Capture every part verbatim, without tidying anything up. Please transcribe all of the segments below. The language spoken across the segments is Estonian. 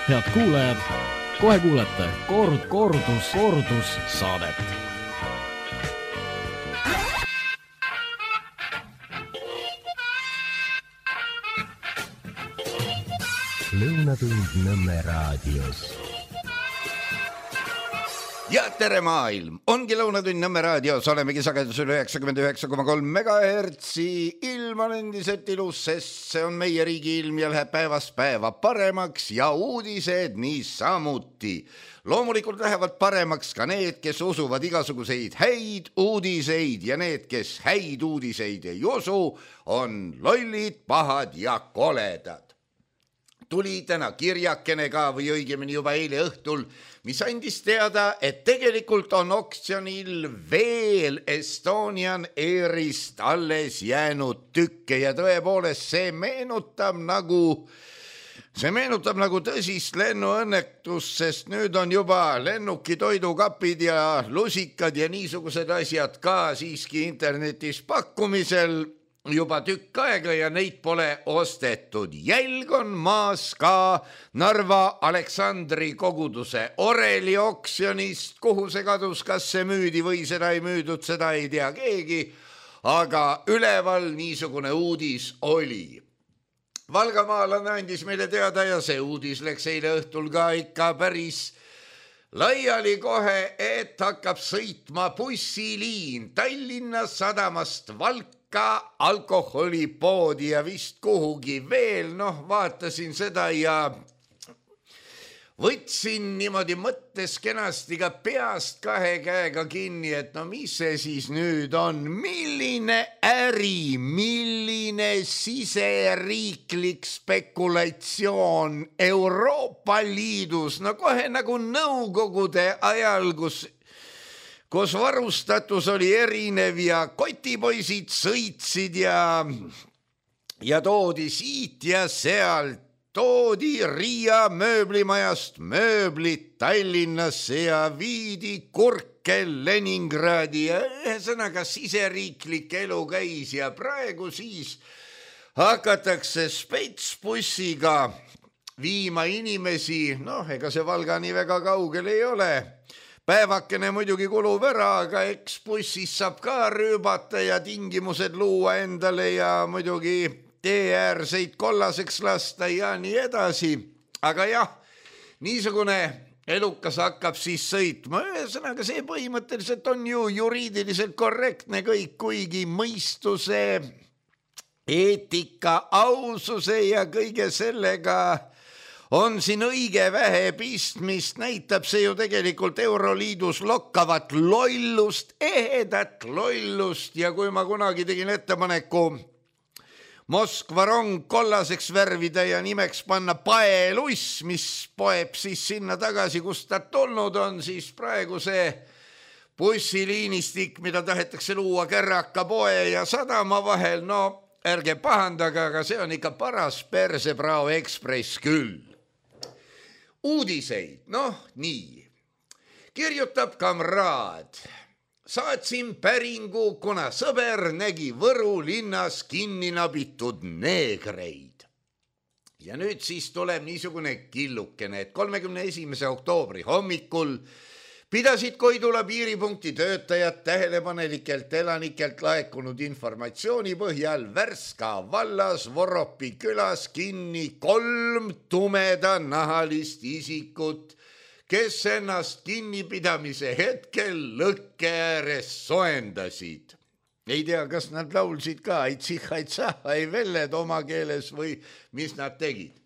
Head kuulajad, kohe kuulete kord, kordus, kordus saadet. Lõunatund Nõmme raadios. Ja tere maailm, ongi Lõunatund Nõmme raadios, olemegi sagedusel üheksakümmend üheksa koma kolm megahertsi. Ilm on endiselt ilus, sest see on meie riigi ilm ja läheb päevast päeva paremaks ja uudised niisamuti. Loomulikult lähevad paremaks ka need, kes usuvad igasuguseid häid uudiseid ja need, kes häid uudiseid ei usu, on lollid, pahad ja koledad. Tuli täna kirjakene ka või õigemini juba eile õhtul, mis andis teada, et tegelikult on oksjonil veel Estonian Airist alles jäänud tükke ja tõepoolest see meenutab nagu, see meenutab nagu tõsist lennuõnnetust, sest nüüd on juba lennuki toidukapid ja lusikad ja niisugused asjad ka siiski internetis pakkumisel juba tükk aega ja neid pole ostetud. Jälg on maas ka Narva Aleksandri koguduse oreli oksjonist, kuhu see kadus, kas see müüdi või seda ei müüdud, seda ei tea keegi, aga üleval niisugune uudis oli. Valgamaalane andis meile teada ja see uudis läks eile õhtul ka ikka päris laiali kohe, et hakkab sõitma bussiliin Tallinna sadamast Valka ka alkoholipoodi ja vist kuhugi veel, noh, vaatasin seda ja võtsin niimoodi mõttes kenasti ka peast kahe käega kinni, et no mis see siis nüüd on, milline äri, milline siseriiklik spekulatsioon Euroopa Liidus, no kohe nagu nõukogude ajal, kus kus varustatus oli erinev ja kotipoisid sõitsid ja, ja toodi siit ja sealt, toodi Riia mööblimajast mööblit Tallinnasse ja viidi kurke Leningradi ja ühesõnaga siseriiklik elu käis ja praegu siis hakatakse spetsbussiga viima inimesi, noh, ega see Valga nii väga kaugel ei ole. Päevakene muidugi kulub ära, aga eks bussis saab ka rüübata ja tingimused luua endale ja muidugi teeäärseid kollaseks lasta ja nii edasi. Aga jah, niisugune elukas hakkab siis sõitma. Ühesõnaga see põhimõtteliselt on ju juriidiliselt korrektne kõik, kuigi mõistuse, eetika, aususe ja kõige sellega on siin õige vähe pistmist, näitab see ju tegelikult Euroliidus lokkavat lollust, ehedat lollust ja kui ma kunagi tegin ettepaneku Moskva rong kollaseks värvida ja nimeks panna paeluss, mis poeb siis sinna tagasi, kust ta tulnud on, siis praegu see bussiliinistik, mida tahetakse luua Kärraka poe ja sadama vahel, no ärge pahandaga, aga see on ikka paras Persebrao Ekspress küll. Uudiseid, noh nii, kirjutab kamraad, saatsin päringu, kuna sõber nägi Võru linnas kinni nabitud neegreid. Ja nüüd siis tuleb niisugune killukene, et kolmekümne esimese oktoobri hommikul pidasid Koidula piiripunkti töötajad tähelepanelikelt elanikelt laekunud informatsiooni põhjal Värska vallas Voropi külas kinni kolm tumeda nahalist isikut, kes ennast kinnipidamise hetkel lõkke ääres soendasid. Ei tea, kas nad laulsid ka aitsih-aitsah ei velled oma keeles või mis nad tegid.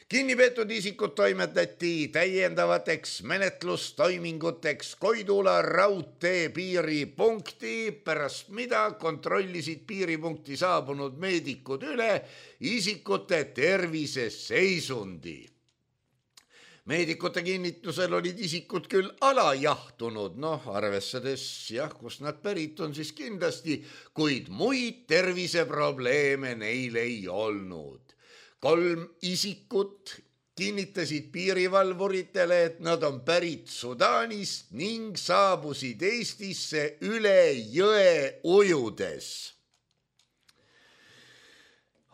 Kinnipeetud isikud toimetati täiendavateks menetlustoiminguteks Koidula raudtee piiripunkti, pärast mida kontrollisid piiripunkti saabunud meedikud üle isikute terviseseisundi. Meedikute kinnitusel olid isikud küll alajahtunud, noh, arvestades, jah, kus nad pärit on, siis kindlasti, kuid muid terviseprobleeme neil ei olnud. Kolm isikut kinnitasid piirivalvuritele, et nad on pärit Sudaanist ning saabusid Eestisse üle jõe ujudes.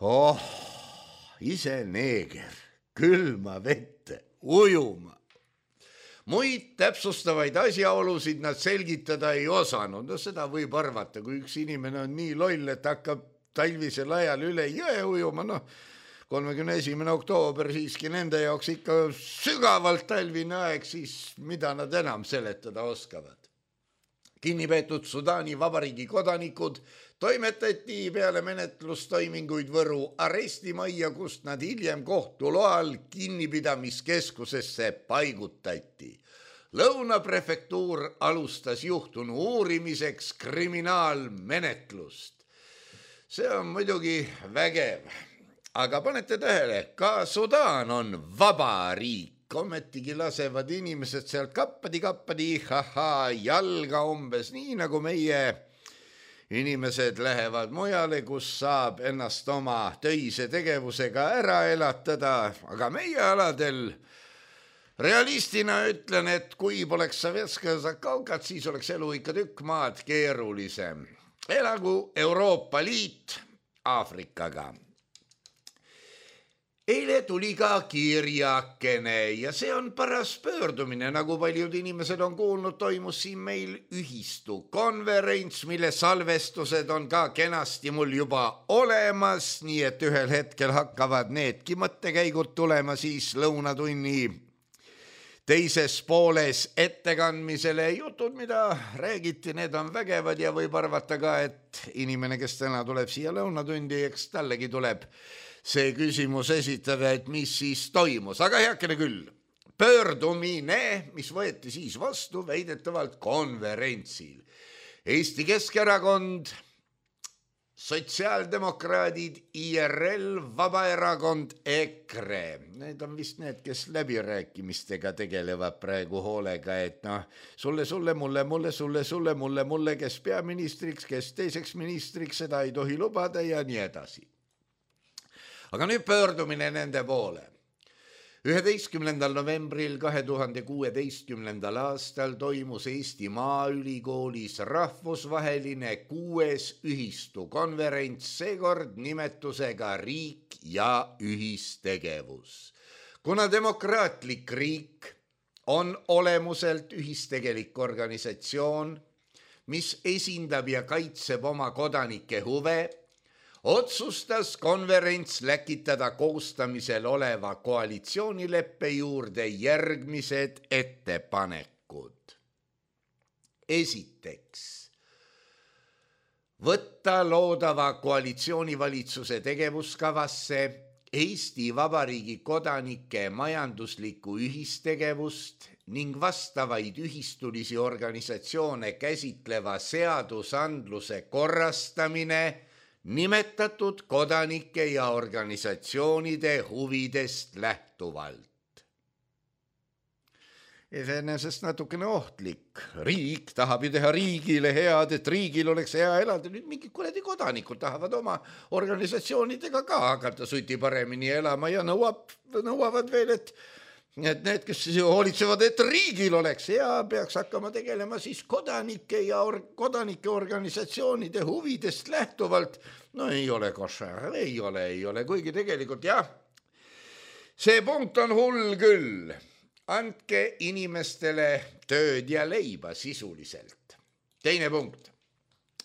Oh, ise neeger, külma vette ujuma. Muid täpsustavaid asjaolusid nad selgitada ei osanud. No seda võib arvata, kui üks inimene on nii loll, et hakkab talvisel ajal üle jõe ujuma, noh, kolmekümne esimene oktoober siiski nende jaoks ikka sügavalt talvine aeg, siis mida nad enam seletada oskavad. Kinnipeetud Sudaani Vabariigi kodanikud toimetati peale menetlustoiminguid Võru arestimajja, kust nad hiljem kohtu loal kinnipidamiskeskusesse paigutati. Lõuna prefektuur alustas juhtunu uurimiseks kriminaalmenetlust. See on muidugi vägev, aga panete tähele, ka Sudaan on vaba riik. Ometigi lasevad inimesed sealt kappadi-kappadi, haha, jalga umbes nii, nagu meie inimesed lähevad mujale, kus saab ennast oma töise tegevusega ära elatada, aga meie aladel realistina ütlen, et kui poleks Sovetskaja kaukat, siis oleks elu ikka tükk maad keerulisem. Elagu Euroopa Liit Aafrikaga. Eile tuli ka kirjakene ja see on paras pöördumine, nagu paljud inimesed on kuulnud, toimus siin meil ühistu konverents, mille salvestused on ka kenasti mul juba olemas, nii et ühel hetkel hakkavad needki mõttekäigud tulema siis lõunatunni teises pooles ettekandmisele. Jutud, mida räägiti, need on vägevad ja võib arvata ka, et inimene, kes täna tuleb siia lõunatundi, eks tallegi tuleb see küsimus esitada, et mis siis toimus. Aga heakene küll, pöördumine, mis võeti siis vastu väidetavalt konverentsil. Eesti Keskerakond, sotsiaaldemokraadid, I R L, Vabaerakond, E K R E. Need on vist need, kes läbirääkimistega tegelevad praegu hoolega, et noh, sulle, sulle, mulle, mulle, sulle, sulle, mulle, mulle, kes peaministriks, kes teiseks ministriks, seda ei tohi lubada ja nii edasi. Aga nüüd pöördumine nende poole. üheteistkümnendal novembril kahe tuhande kuueteistkümnendal aastal toimus Eesti Maaülikoolis rahvusvaheline kuues ühistukonverents, seekord nimetusega Riik ja ühistegevus. Kuna demokraatlik riik on olemuselt ühistegelik organisatsioon, mis esindab ja kaitseb oma kodanike huve, otsustas konverents läkitada koostamisel oleva koalitsioonileppe juurde järgmised ettepanekud. Esiteks, võtta loodava koalitsioonivalitsuse tegevuskavasse Eesti Vabariigi kodanike majanduslikku ühistegevust ning vastavaid ühistulisi organisatsioone käsitleva seadusandluse korrastamine nimetatud kodanike ja organisatsioonide huvidest lähtuvalt. Iseenesest natukene ohtlik. Riik tahab ju teha riigile head, et riigil oleks hea elada. Nüüd mingid kuradi kodanikud tahavad oma organisatsioonidega ka hakata suti paremini elama ja nõuab, nõuavad veel, et et need, kes hoolitsevad, et riigil oleks hea, peaks hakkama tegelema siis kodanike ja or- kodanike organisatsioonide huvidest lähtuvalt. No ei ole košar, ei ole, ei ole, kuigi tegelikult jah, see punkt on hull küll. Andke inimestele tööd ja leiba sisuliselt. Teine punkt.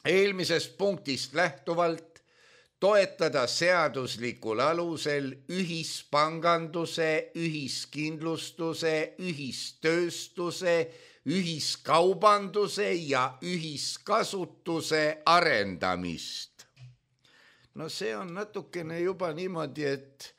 Eelmisest punktist lähtuvalt toetada seaduslikul alusel ühispanganduse, ühiskindlustuse, ühistööstuse, ühiskaubanduse ja ühiskasutuse arendamist. No see on natukene juba niimoodi, et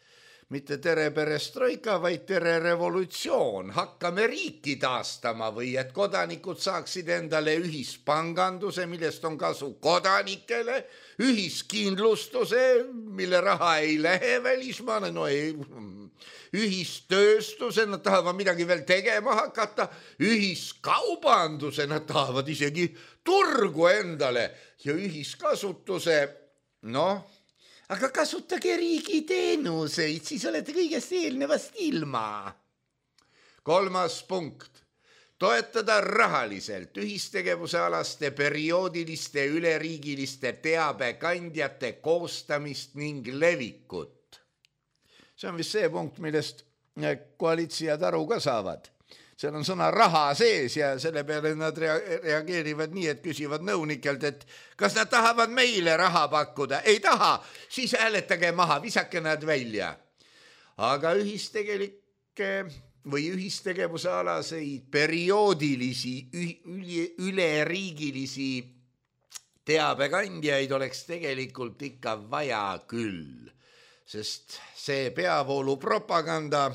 mitte tere perestroika, vaid tere revolutsioon. Hakkame riiki taastama või et kodanikud saaksid endale ühispanganduse, millest on kasu kodanikele, ühiskindlustuse, mille raha ei lähe välismaale, no ei, ühistööstuse, nad tahavad midagi veel tegema hakata, ühiskaubanduse, nad tahavad isegi turgu endale ja ühiskasutuse, noh, aga kasutage riigi teenuseid, siis olete kõigest eelnevast ilma. Kolmas punkt. Toetada rahaliselt ühistegevuse alaste perioodiliste üleriigiliste teabekandjate koostamist ning levikut. See on vist see punkt, millest koalitsijad aru ka saavad. Seal on sõna raha sees ja selle peale nad reageerivad nii, et küsivad nõunikelt, et kas nad tahavad meile raha pakkuda. Ei taha, siis hääletage maha, visake nad välja. Aga ühistegelikke või ühistegevuse alaseid perioodilisi, üleriigilisi teabekandjaid oleks tegelikult ikka vaja küll, sest see peavoolu propaganda,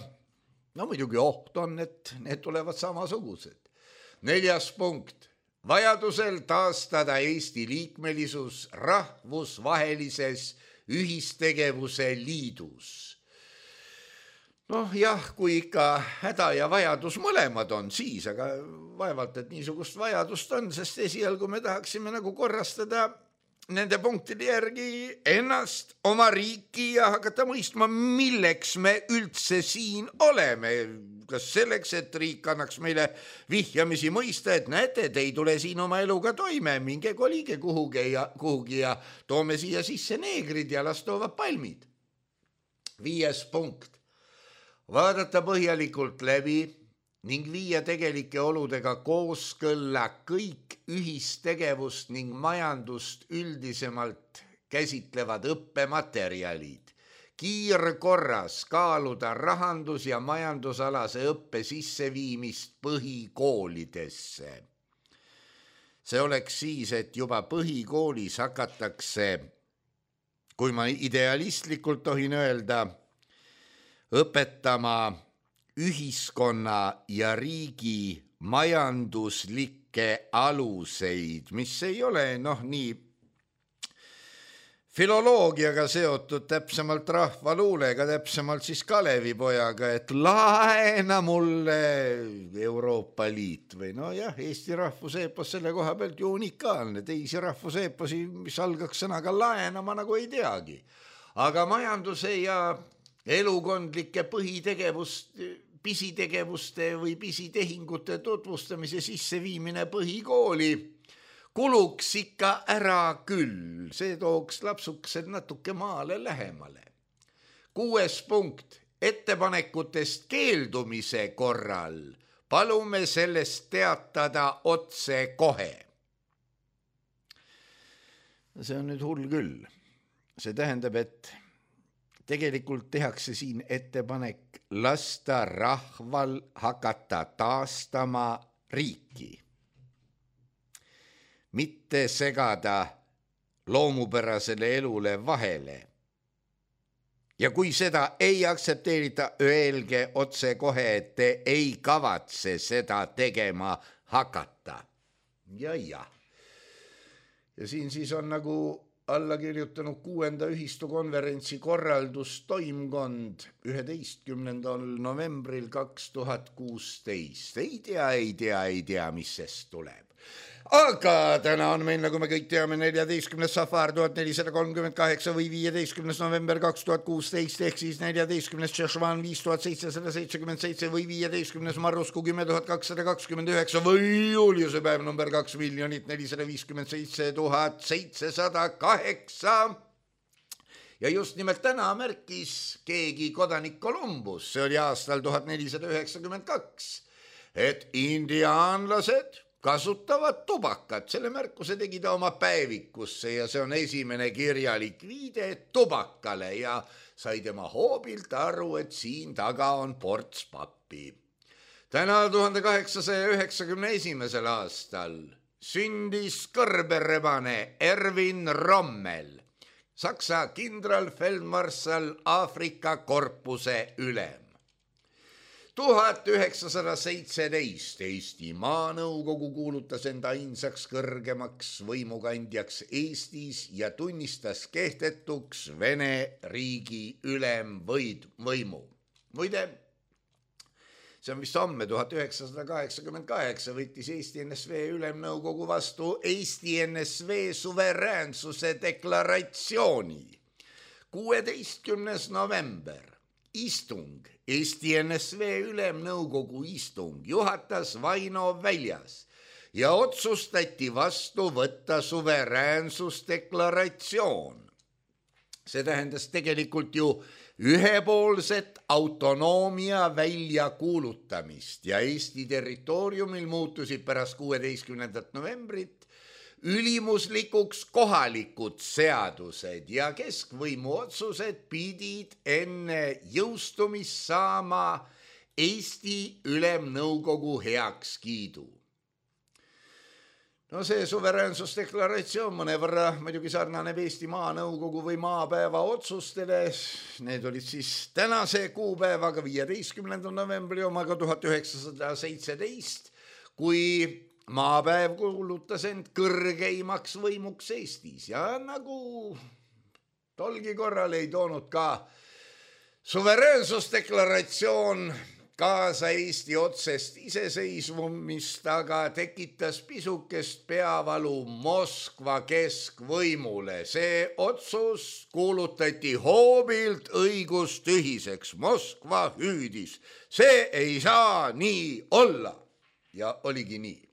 no muidugi oht on, et need tulevad samasugused. Neljas punkt. Vajadusel taastada Eesti liikmelisus rahvusvahelises ühistegevuse liidus. Noh jah, kui ikka häda ja vajadus mõlemad on, siis, aga vaevalt, et niisugust vajadust on, sest esialgu me tahaksime nagu korrastada nende punktide järgi ennast, oma riiki ja hakata mõistma, milleks me üldse siin oleme. Kas selleks, et riik annaks meile vihjamisi mõista, et näete, te ei tule siin oma eluga toime, minge kolige kuhugi ja, kuhugi ja toome siia sisse neegrid ja las toovad palmid. Viies punkt. Vaadata põhjalikult läbi ning viia tegelike oludega kooskõlla kõik ühistegevust ning majandust üldisemalt käsitlevad õppematerjalid. Kiirkorras kaaluda rahandus- ja majandusalase õppe sisseviimist põhikoolidesse. See oleks siis, et juba põhikoolis hakatakse, kui ma idealistlikult tohin öelda, õpetama ühiskonna ja riigi majanduslikke aluseid, mis ei ole noh nii filoloogiaga seotud, täpsemalt rahvaluulega, täpsemalt siis Kalevipojaga, et laena mulle Euroopa Liit või no jah, Eesti rahvuseepos selle koha pealt ju unikaalne, teisi rahvuseeposi, mis algaks sõnaga laenama nagu ei teagi, aga majanduse ja elukondlike põhitegevust, pisitegevuste või pisitehingute tutvustamise sisseviimine põhikooli kuluks ikka ära küll, see tooks lapsukesed natuke maale lähemale. Kuues punkt, ettepanekutest keeldumise korral palume sellest teatada otse kohe. See on nüüd hull küll. See tähendab, et tegelikult tehakse siin ettepanek lasta rahval hakata taastama riiki. Mitte segada loomupärasele elule vahele. Ja kui seda ei aktsepteerita, öelge otse kohe, et te ei kavatse seda tegema hakata. Ja ja. Ja siin siis on nagu alla kirjutanud kuuenda ühistukonverentsi korraldustoimkond üheteistkümnendal novembril kaks tuhat kuusteist. Ei tea, ei tea, ei tea, mis sest tuleb. Aga täna on meil, nagu me kõik teame, neljateistkümnes safar tuhat nelisada kolmkümmend kaheksa või viieteistkümnes november kaks tuhat kuusteist ehk siis neljateistkümnes Tšešvan viis tuhat seitsesada seitsekümmend seitse või viieteistkümnes Marrusku kümme tuhat kakssada kakskümmend üheksa või Juliuse päev number kaks miljonit nelisada viiskümmend seitse tuhat seitsesada kaheksa. Ja just nimelt täna märkis keegi kodanik Columbus, see oli aastal tuhat nelisada üheksakümmend kaks, et indiaanlased kasutavad tubakat. Selle märkuse tegi ta oma päevikusse ja see on esimene kirjalik viide tubakale ja sai tema hoobilt aru, et siin taga on ports pappi. Täna tuhande kaheksasaja üheksakümne esimesel aastal sündis kõrberebane Erwin Rommel, Saksa kindralfeldmarssal Aafrika korpuse ülem. tuhat üheksasada seitseteist Eesti Maanõukogu kuulutas enda ainsaks kõrgemaks võimukandjaks Eestis ja tunnistas kehtetuks Vene riigi ülemvõimu. Muide, see on vist homme tuhat üheksasada kaheksakümmend kaheksa võttis Eesti N S V Ülemnõukogu vastu Eesti N S V suveräänsuse deklaratsiooni. kuueteistkümnes november. Istung, Eesti N S V Ülemnõukogu istung juhatas Vaino väljas ja otsustati vastu võtta suveräänsusdeklaratsioon. see tähendas tegelikult ju ühepoolset autonoomia väljakuulutamist ja Eesti territooriumil muutusid pärast kuueteistkümnendat novembrit ülimuslikuks kohalikud seadused ja keskvõimu otsused pidid enne jõustumist saama Eesti Ülemnõukogu heakskiidu. No see suveräänsusdeklaratsioon mõnevõrra muidugi sarnaneb Eesti Maanõukogu või maapäeva otsustele. Need olid siis tänase kuupäevaga viieteistkümnenda novembri omaga tuhat üheksasada seitseteist, kui maapäev kuulutas end kõrgeimaks võimuks Eestis ja nagu tolgi korral ei toonud ka suveräänsusdeklaratsioon kaasa Eesti otsest iseseisvumist, aga tekitas pisukest peavalu Moskva keskvõimule. See otsus kuulutati hoobilt õigustühiseks. Moskva hüüdis. See ei saa nii olla. Ja oligi nii.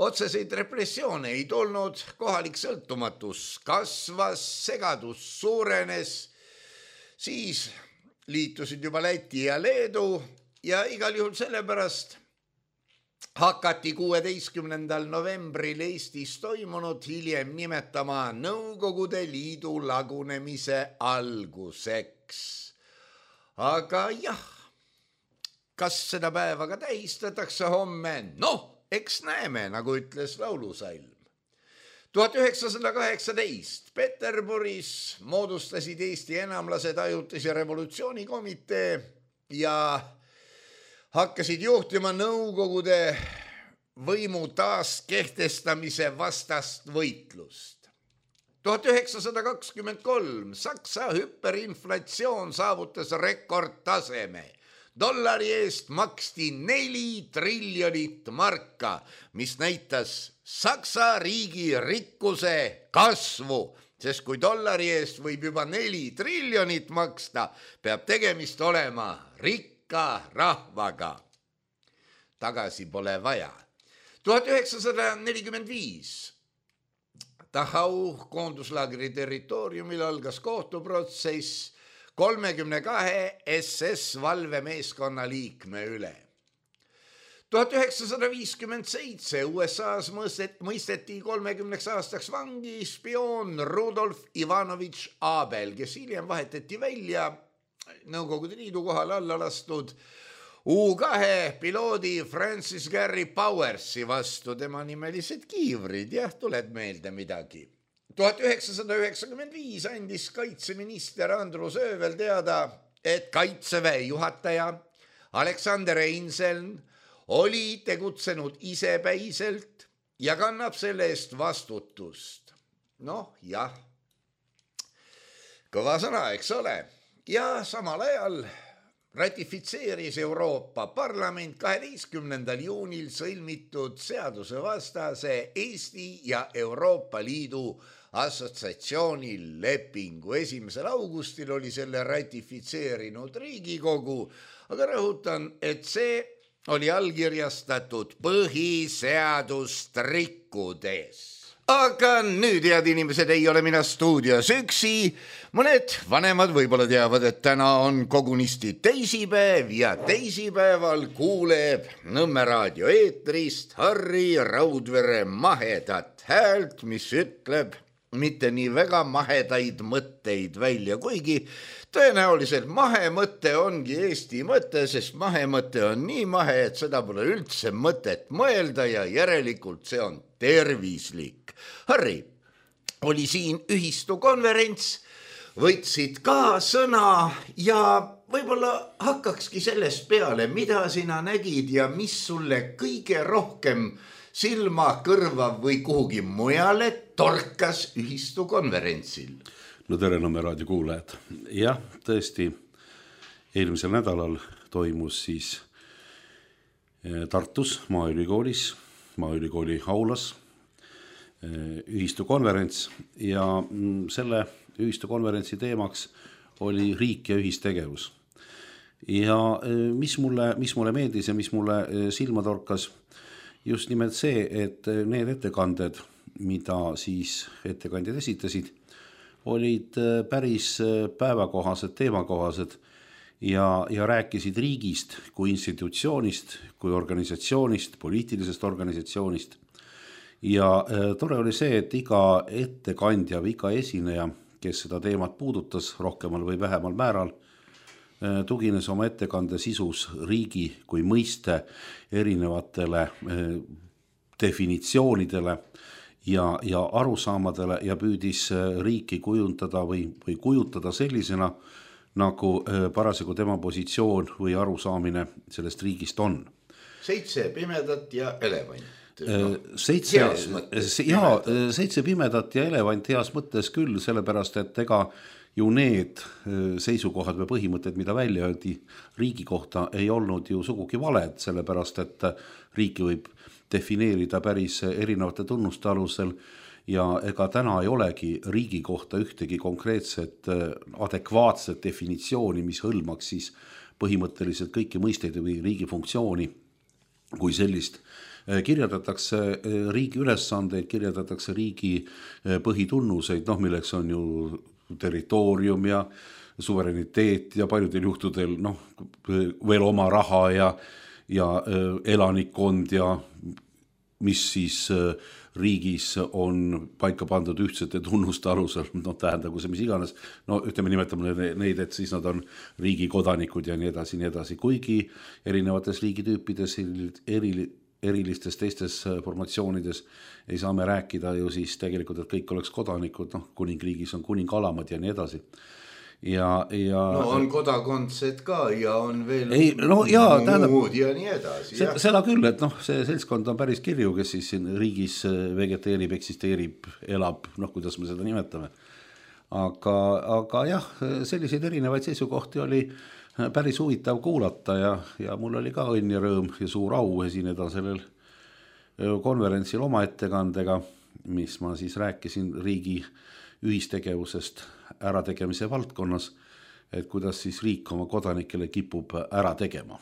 Otseseid repressioone ei tulnud, kohalik sõltumatus kasvas, segadus suurenes, siis liitusid juba Läti ja Leedu ja igal juhul sellepärast hakati kuueteistkümnendal novembril Eestis toimunud hiljem nimetama Nõukogude Liidu lagunemise alguseks. Aga jah, kas seda päeva ka tähistatakse homme? Noh, eks näeme, nagu ütles laulusalm. tuhat üheksasada kaheksateist Peterburis moodustasid Eesti enamlased ajutise revolutsioonikomitee ja hakkasid juhtima Nõukogude võimu taaskehtestamise vastast võitlust. tuhat üheksasada kakskümmend kolm Saksa hüperinflatsioon saavutas rekordtaseme. Dollari eest maksti neli triljonit marka, mis näitas Saksa riigi rikkuse kasvu, sest kui dollari eest võib juba neli triljonit maksta, peab tegemist olema rikka rahvaga. Tagasi pole vaja. tuhat üheksasada nelikümmend viis Dachau koonduslaagri territooriumil algas kohtuprotsess kolmekümne kahe S S valvemeeskonna liikme üle. tuhat üheksasada viiskümmend seitse U S A-s mõisteti kolmekümneks aastaks vangi spioon Rudolf Ivanovitš Abel, kes hiljem vahetati välja Nõukogude Liidu kohal alla lastud U kahe piloodi Francis Gary Powersi vastu. Tema nimelised kiivrid, jah, tuleb meelde midagi. tuhat üheksasada üheksakümmend viis andis kaitseminister Andrus Öövel teada, et kaitseväe juhataja Aleksander Einseln oli tegutsenud isepäiselt ja kannab selle eest vastutust. Noh, jah, kõva sõna, eks ole. Ja samal ajal ratifitseeris Euroopa Parlament kaheteistkümnendal juunil sõlmitud seadusevastase Eesti ja Euroopa Liidu assotsiatsiooni lepingu. esimesel augustil oli selle ratifitseerinud Riigikogu, aga rõhutan, et see oli allkirjastatud põhiseadust rikkudes. Aga nüüd, head inimesed, ei ole mina stuudios üksi. Mõned vanemad võib-olla teavad, et täna on kogunisti teisipäev ja teisipäeval kuuleb Nõmme raadio eetrist Harri Raudvere mahedat häält, mis ütleb mitte nii väga mahedaid mõtteid välja, kuigi tõenäoliselt mahemõte ongi Eesti mõte, sest mahemõte on nii mahe, et seda pole üldse mõtet mõelda ja järelikult see on tervislik. Harri, oli siin ühistukonverents, võtsid ka sõna ja võib-olla hakkakski sellest peale, mida sina nägid ja mis sulle kõige rohkem silma, kõrva või kuhugi mujale torkas ühistukonverentsil? No tere, Nõmme raadio kuulajad. Jah, tõesti, eelmisel nädalal toimus siis Tartus Maaülikoolis, Maaülikooli aulas ühistukonverents ja selle ühistukonverentsi teemaks oli riik ja ühistegevus. Ja mis mulle, mis mulle meeldis ja mis mulle silma torkas, just nimelt see, et need ettekanded, mida siis ettekandjad esitasid, olid päris päevakohased, teemakohased ja, ja rääkisid riigist kui institutsioonist, kui organisatsioonist, poliitilisest organisatsioonist. Ja tore oli see, et iga ettekandja või iga esineja, kes seda teemat puudutas rohkemal või vähemal määral, tugines oma ettekande sisus riigi kui mõiste erinevatele definitsioonidele ja, ja arusaamadele ja püüdis riiki kujundada või, või kujutada sellisena, nagu parasjagu tema positsioon või arusaamine sellest riigist on. Seitse pimedat ja elevant. Seitse, jaa, seitse pimedat ja elevant heas mõttes küll, sellepärast et ega ju need seisukohad või põhimõtted, mida välja öeldi riigi kohta, ei olnud ju sugugi valed, sellepärast et riiki võib defineerida päris erinevate tunnuste alusel ja ega täna ei olegi riigi kohta ühtegi konkreetset adekvaatset definitsiooni, mis hõlmaks siis põhimõtteliselt kõiki mõisteid või riigi funktsiooni kui sellist. Kirjeldatakse riigi ülesandeid, kirjeldatakse riigi põhitunnuseid, noh, milleks on ju territoorium ja suvereniteet ja paljudel juhtudel noh, veel oma raha ja, ja elanikkond ja mis siis riigis on paika pandud ühtsete tunnuste alusel, noh tähendagu see mis iganes, no ütleme nimetame neid, et siis nad on riigi kodanikud ja nii edasi, nii edasi, kuigi erinevates riigitüüpides eri erilistes teistes formatsioonides ei saa me rääkida ju siis tegelikult, et kõik oleks kodanikud, noh kuningriigis on kuningalamad ja nii edasi. Ja, ja no on kodakondsed ka ja on veel ei, no, jaa, muud tähendab, ja nii edasi. Se, seda küll, et noh, see seltskond on päris kirju, kes siis siin riigis vegeteerib, eksisteerib, elab, noh kuidas me seda nimetame. Aga, aga jah, selliseid erinevaid seisukohti oli päris huvitav kuulata ja, ja mul oli ka õnn ja rõõm ja suur au esineda sellel konverentsil oma ettekandega, mis ma siis rääkisin riigi ühistegevusest ärategemise valdkonnas, et kuidas siis riik oma kodanikele kipub ära tegema.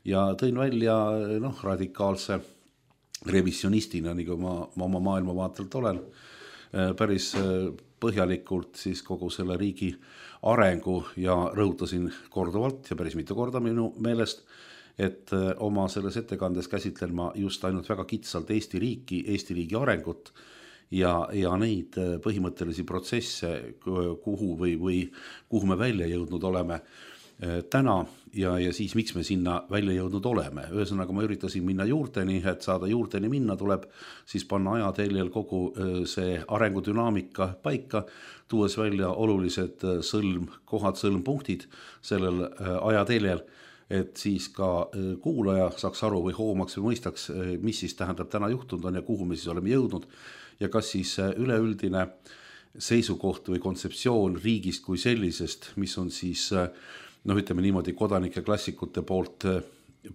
Ja tõin välja noh, radikaalse revisionistina, nagu ma, ma oma maailmavaatelt olen, päris põhjalikult siis kogu selle riigi arengu ja rõhutasin korduvalt ja päris mitu korda minu meelest, et oma selles ettekandes käsitlen ma just ainult väga kitsalt Eesti riiki, Eesti riigi arengut ja, ja neid põhimõttelisi protsesse, kuhu või, või kuhu me välja jõudnud oleme täna ja, ja siis miks me sinna välja jõudnud oleme. Ühesõnaga ma üritasin minna juurteni, et saada juurteni minna, tuleb siis panna ajateljel kogu see arengudünaamika paika, tuues välja olulised sõlm, kohad, sõlmpunktid sellel ajateljel, et siis ka kuulaja saaks aru või hoomaks või mõistaks, mis siis tähendab täna juhtunud on ja kuhu me siis oleme jõudnud ja kas siis üleüldine seisukoht või kontseptsioon riigist kui sellisest, mis on siis noh, ütleme niimoodi kodanike klassikute poolt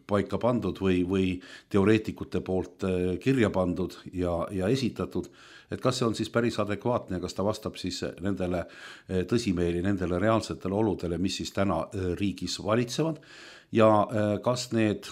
paika pandud või, või teoreetikute poolt kirja pandud ja, ja esitatud, et kas see on siis päris adekvaatne ja kas ta vastab siis nendele tõsimeeli, nendele reaalsetele oludele, mis siis täna riigis valitsevad ja kas need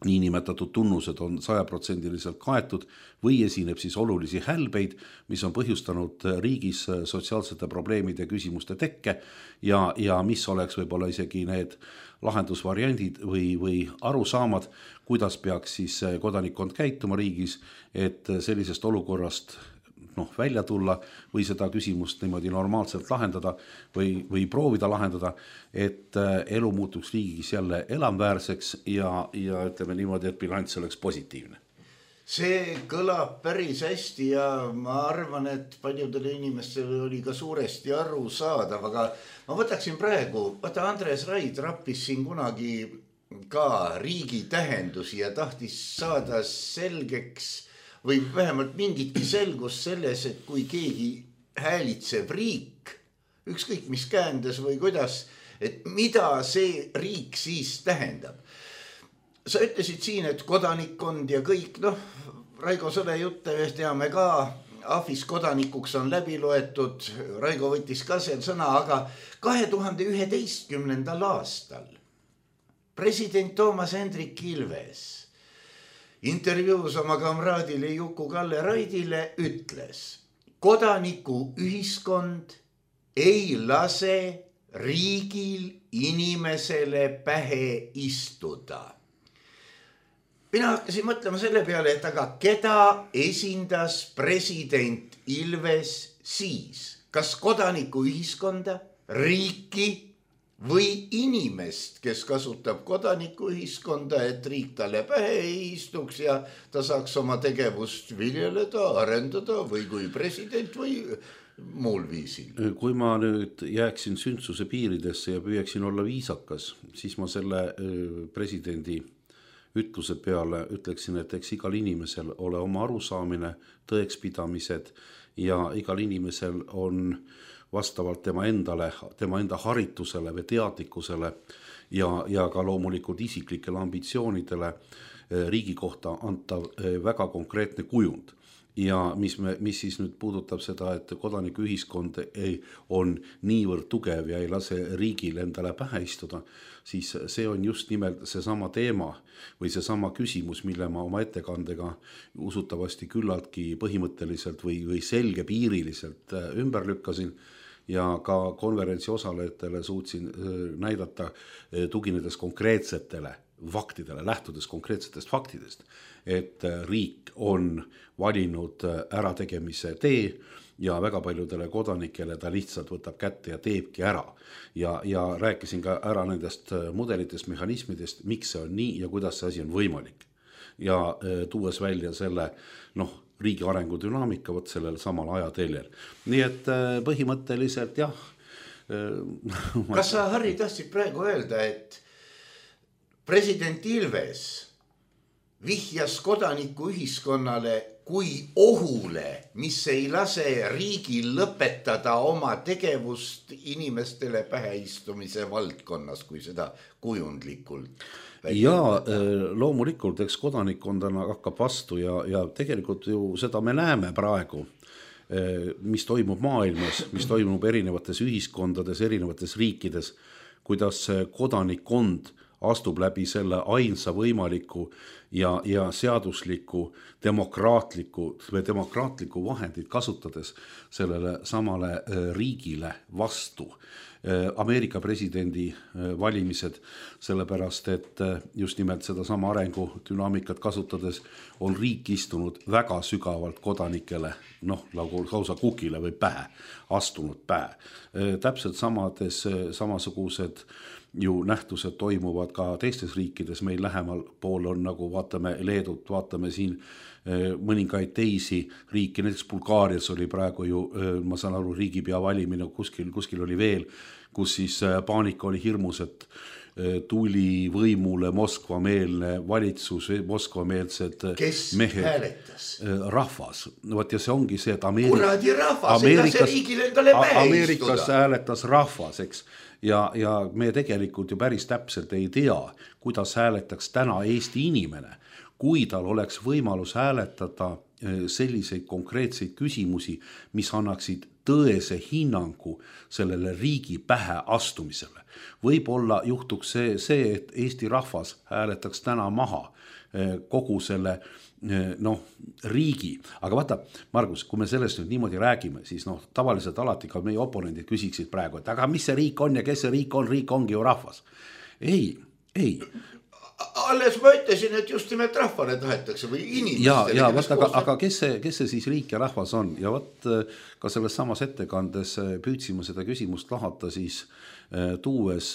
niinimetatud tunnused on sajaprotsendiliselt kaetud või esineb siis olulisi hälbeid, mis on põhjustanud riigis sotsiaalsete probleemide küsimuste tekke ja, ja mis oleks võib-olla isegi need lahendusvariandid või, või arusaamad, kuidas peaks siis kodanikkond käituma riigis, et sellisest olukorrast noh, välja tulla või seda küsimust niimoodi normaalselt lahendada või, või proovida lahendada, et elu muutuks riigis jälle elamväärseks ja, ja ütleme niimoodi, et bilanss oleks positiivne. See kõlab päris hästi ja ma arvan, et paljudele inimestele oli ka suuresti aru saadav, aga ma võtaksin praegu, vaata Andres Raid rappis siin kunagi ka riigi tähendusi ja tahtis saada selgeks või vähemalt mingitki selgus selles, et kui keegi häälitsev riik, ükskõik mis käändes või kuidas, et mida see riik siis tähendab. Sa ütlesid siin, et kodanikkond ja kõik, noh, Raigo Sõle jutte teame ka, Ahvis kodanikuks on läbi loetud, Raigo võttis ka seal sõna, aga kahe tuhande üheteistkümnendal aastal president Toomas Hendrik Ilves intervjuus oma kamraadile Juku-Kalle Raidile ütles, kodanikuühiskond ei lase riigil inimesele pähe istuda. Mina hakkasin mõtlema selle peale, et aga keda esindas president Ilves siis? Kas kodanikuühiskonda, riiki või inimest, kes kasutab kodanikuühiskonda, et riik talle pähe ei istuks ja ta saaks oma tegevust viljeleda, arendada või kui president või muul viisil? Kui ma nüüd jääksin sündsuse piiridesse ja püüaksin olla viisakas, siis ma selle presidendi ütluse peale ütleksin, et eks igal inimesel ole oma arusaamine, tõekspidamised ja igal inimesel on vastavalt tema endale, tema enda haritusele või teadlikkusele ja, ja ka loomulikult isiklikele ambitsioonidele riigi kohta antav väga konkreetne kujund. Ja mis, me, mis siis nüüd puudutab seda, et kodanikuühiskond ei, on niivõrd tugev ja ei lase riigil endale pähe istuda, siis see on just nimelt seesama teema või seesama küsimus, mille ma oma ettekandega usutavasti küllaltki põhimõtteliselt või, või selgepiiriliselt ümber lükkasin ja ka konverentsi osalejatele suutsin näidata tuginedes konkreetsetele faktidele, lähtudes konkreetsetest faktidest, et riik on valinud ärategemise tee ja väga paljudele kodanikele ta lihtsalt võtab kätte ja teebki ära. Ja, ja rääkisin ka ära nendest mudelitest, mehhanismidest, miks see on nii ja kuidas see asi on võimalik. Ja tuues välja selle noh, riigi arengu dünaamika võt sellel samal ajateljel. Nii et põhimõtteliselt jah. Kas sa, Harri, tahtsid praegu öelda, et president Ilves vihjas kodanikuühiskonnale kui ohule, mis ei lase riigil lõpetada oma tegevust inimestele päheistumise valdkonnas, kui seda kujundlikult? Ja loomulikult, eks kodanikkondana hakkab vastu ja, ja tegelikult ju seda me näeme praegu, mis toimub maailmas, mis toimub erinevates ühiskondades, erinevates riikides, kuidas kodanikkond astub läbi selle ainsa võimaliku ja, ja seadusliku demokraatliku või demokraatliku vahendit kasutades sellele samale riigile vastu. Ameerika presidendi valimised, sellepärast et just nimelt seda sama arengu dünaamikat kasutades on riik istunud väga sügavalt kodanikele, noh, nagu lausa kukile või pähe, astunud pähe. Täpselt samades, samasugused ju nähtused toimuvad ka teistes riikides, meil lähemal pool on nagu vaatame Leedut, vaatame siin mõningaid teisi riiki, näiteks Bulgaarias oli praegu ju, ma saan aru, riigipea valimine, kuskil, kuskil oli veel, kus siis paanika oli hirmus, et tuli võimule Moskva-meelne valitsus, Moskva-meelsed mehed. Hääletas? Rahvas. Võt, ja see ongi see, et Ameerik... Kuradi rahvas, Ameerikas, ega see riigil endale pähe Ameerikas istuda. Hääletas rahvas, eks. Ja, ja me tegelikult ju päris täpselt ei tea, kuidas hääletaks täna Eesti inimene, kui tal oleks võimalus hääletada selliseid konkreetseid küsimusi, mis annaksid tõese hinnangu sellele riigi pähe astumisele. Võib-olla juhtuks see, see, et Eesti rahvas hääletaks täna maha kogu selle noh, riigi. Aga vaata, Margus, kui me sellest nüüd niimoodi räägime, siis noh, tavaliselt alati ka meie oponendid küsiksid praegu, et aga mis see riik on ja kes see riik on, riik ongi ju rahvas. Ei, ei. Alles ma ütlesin, et just nimelt rahvale tahetakse või inimestele. Ja, ja vaata, aga, aga kes, see, kes see siis riik ja rahvas on? Ja vaat ka selles samas ettekandes püüdsime seda küsimust lahata siis tuues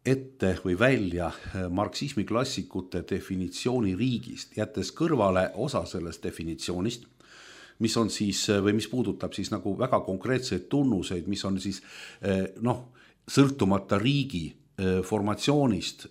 ette või välja marksismi klassikute definitsiooni riigist, jättes kõrvale osa sellest definitsioonist, mis on siis, või mis puudutab siis nagu väga konkreetseid tunnuseid, mis on siis noh, sõltumata riigi formatsioonist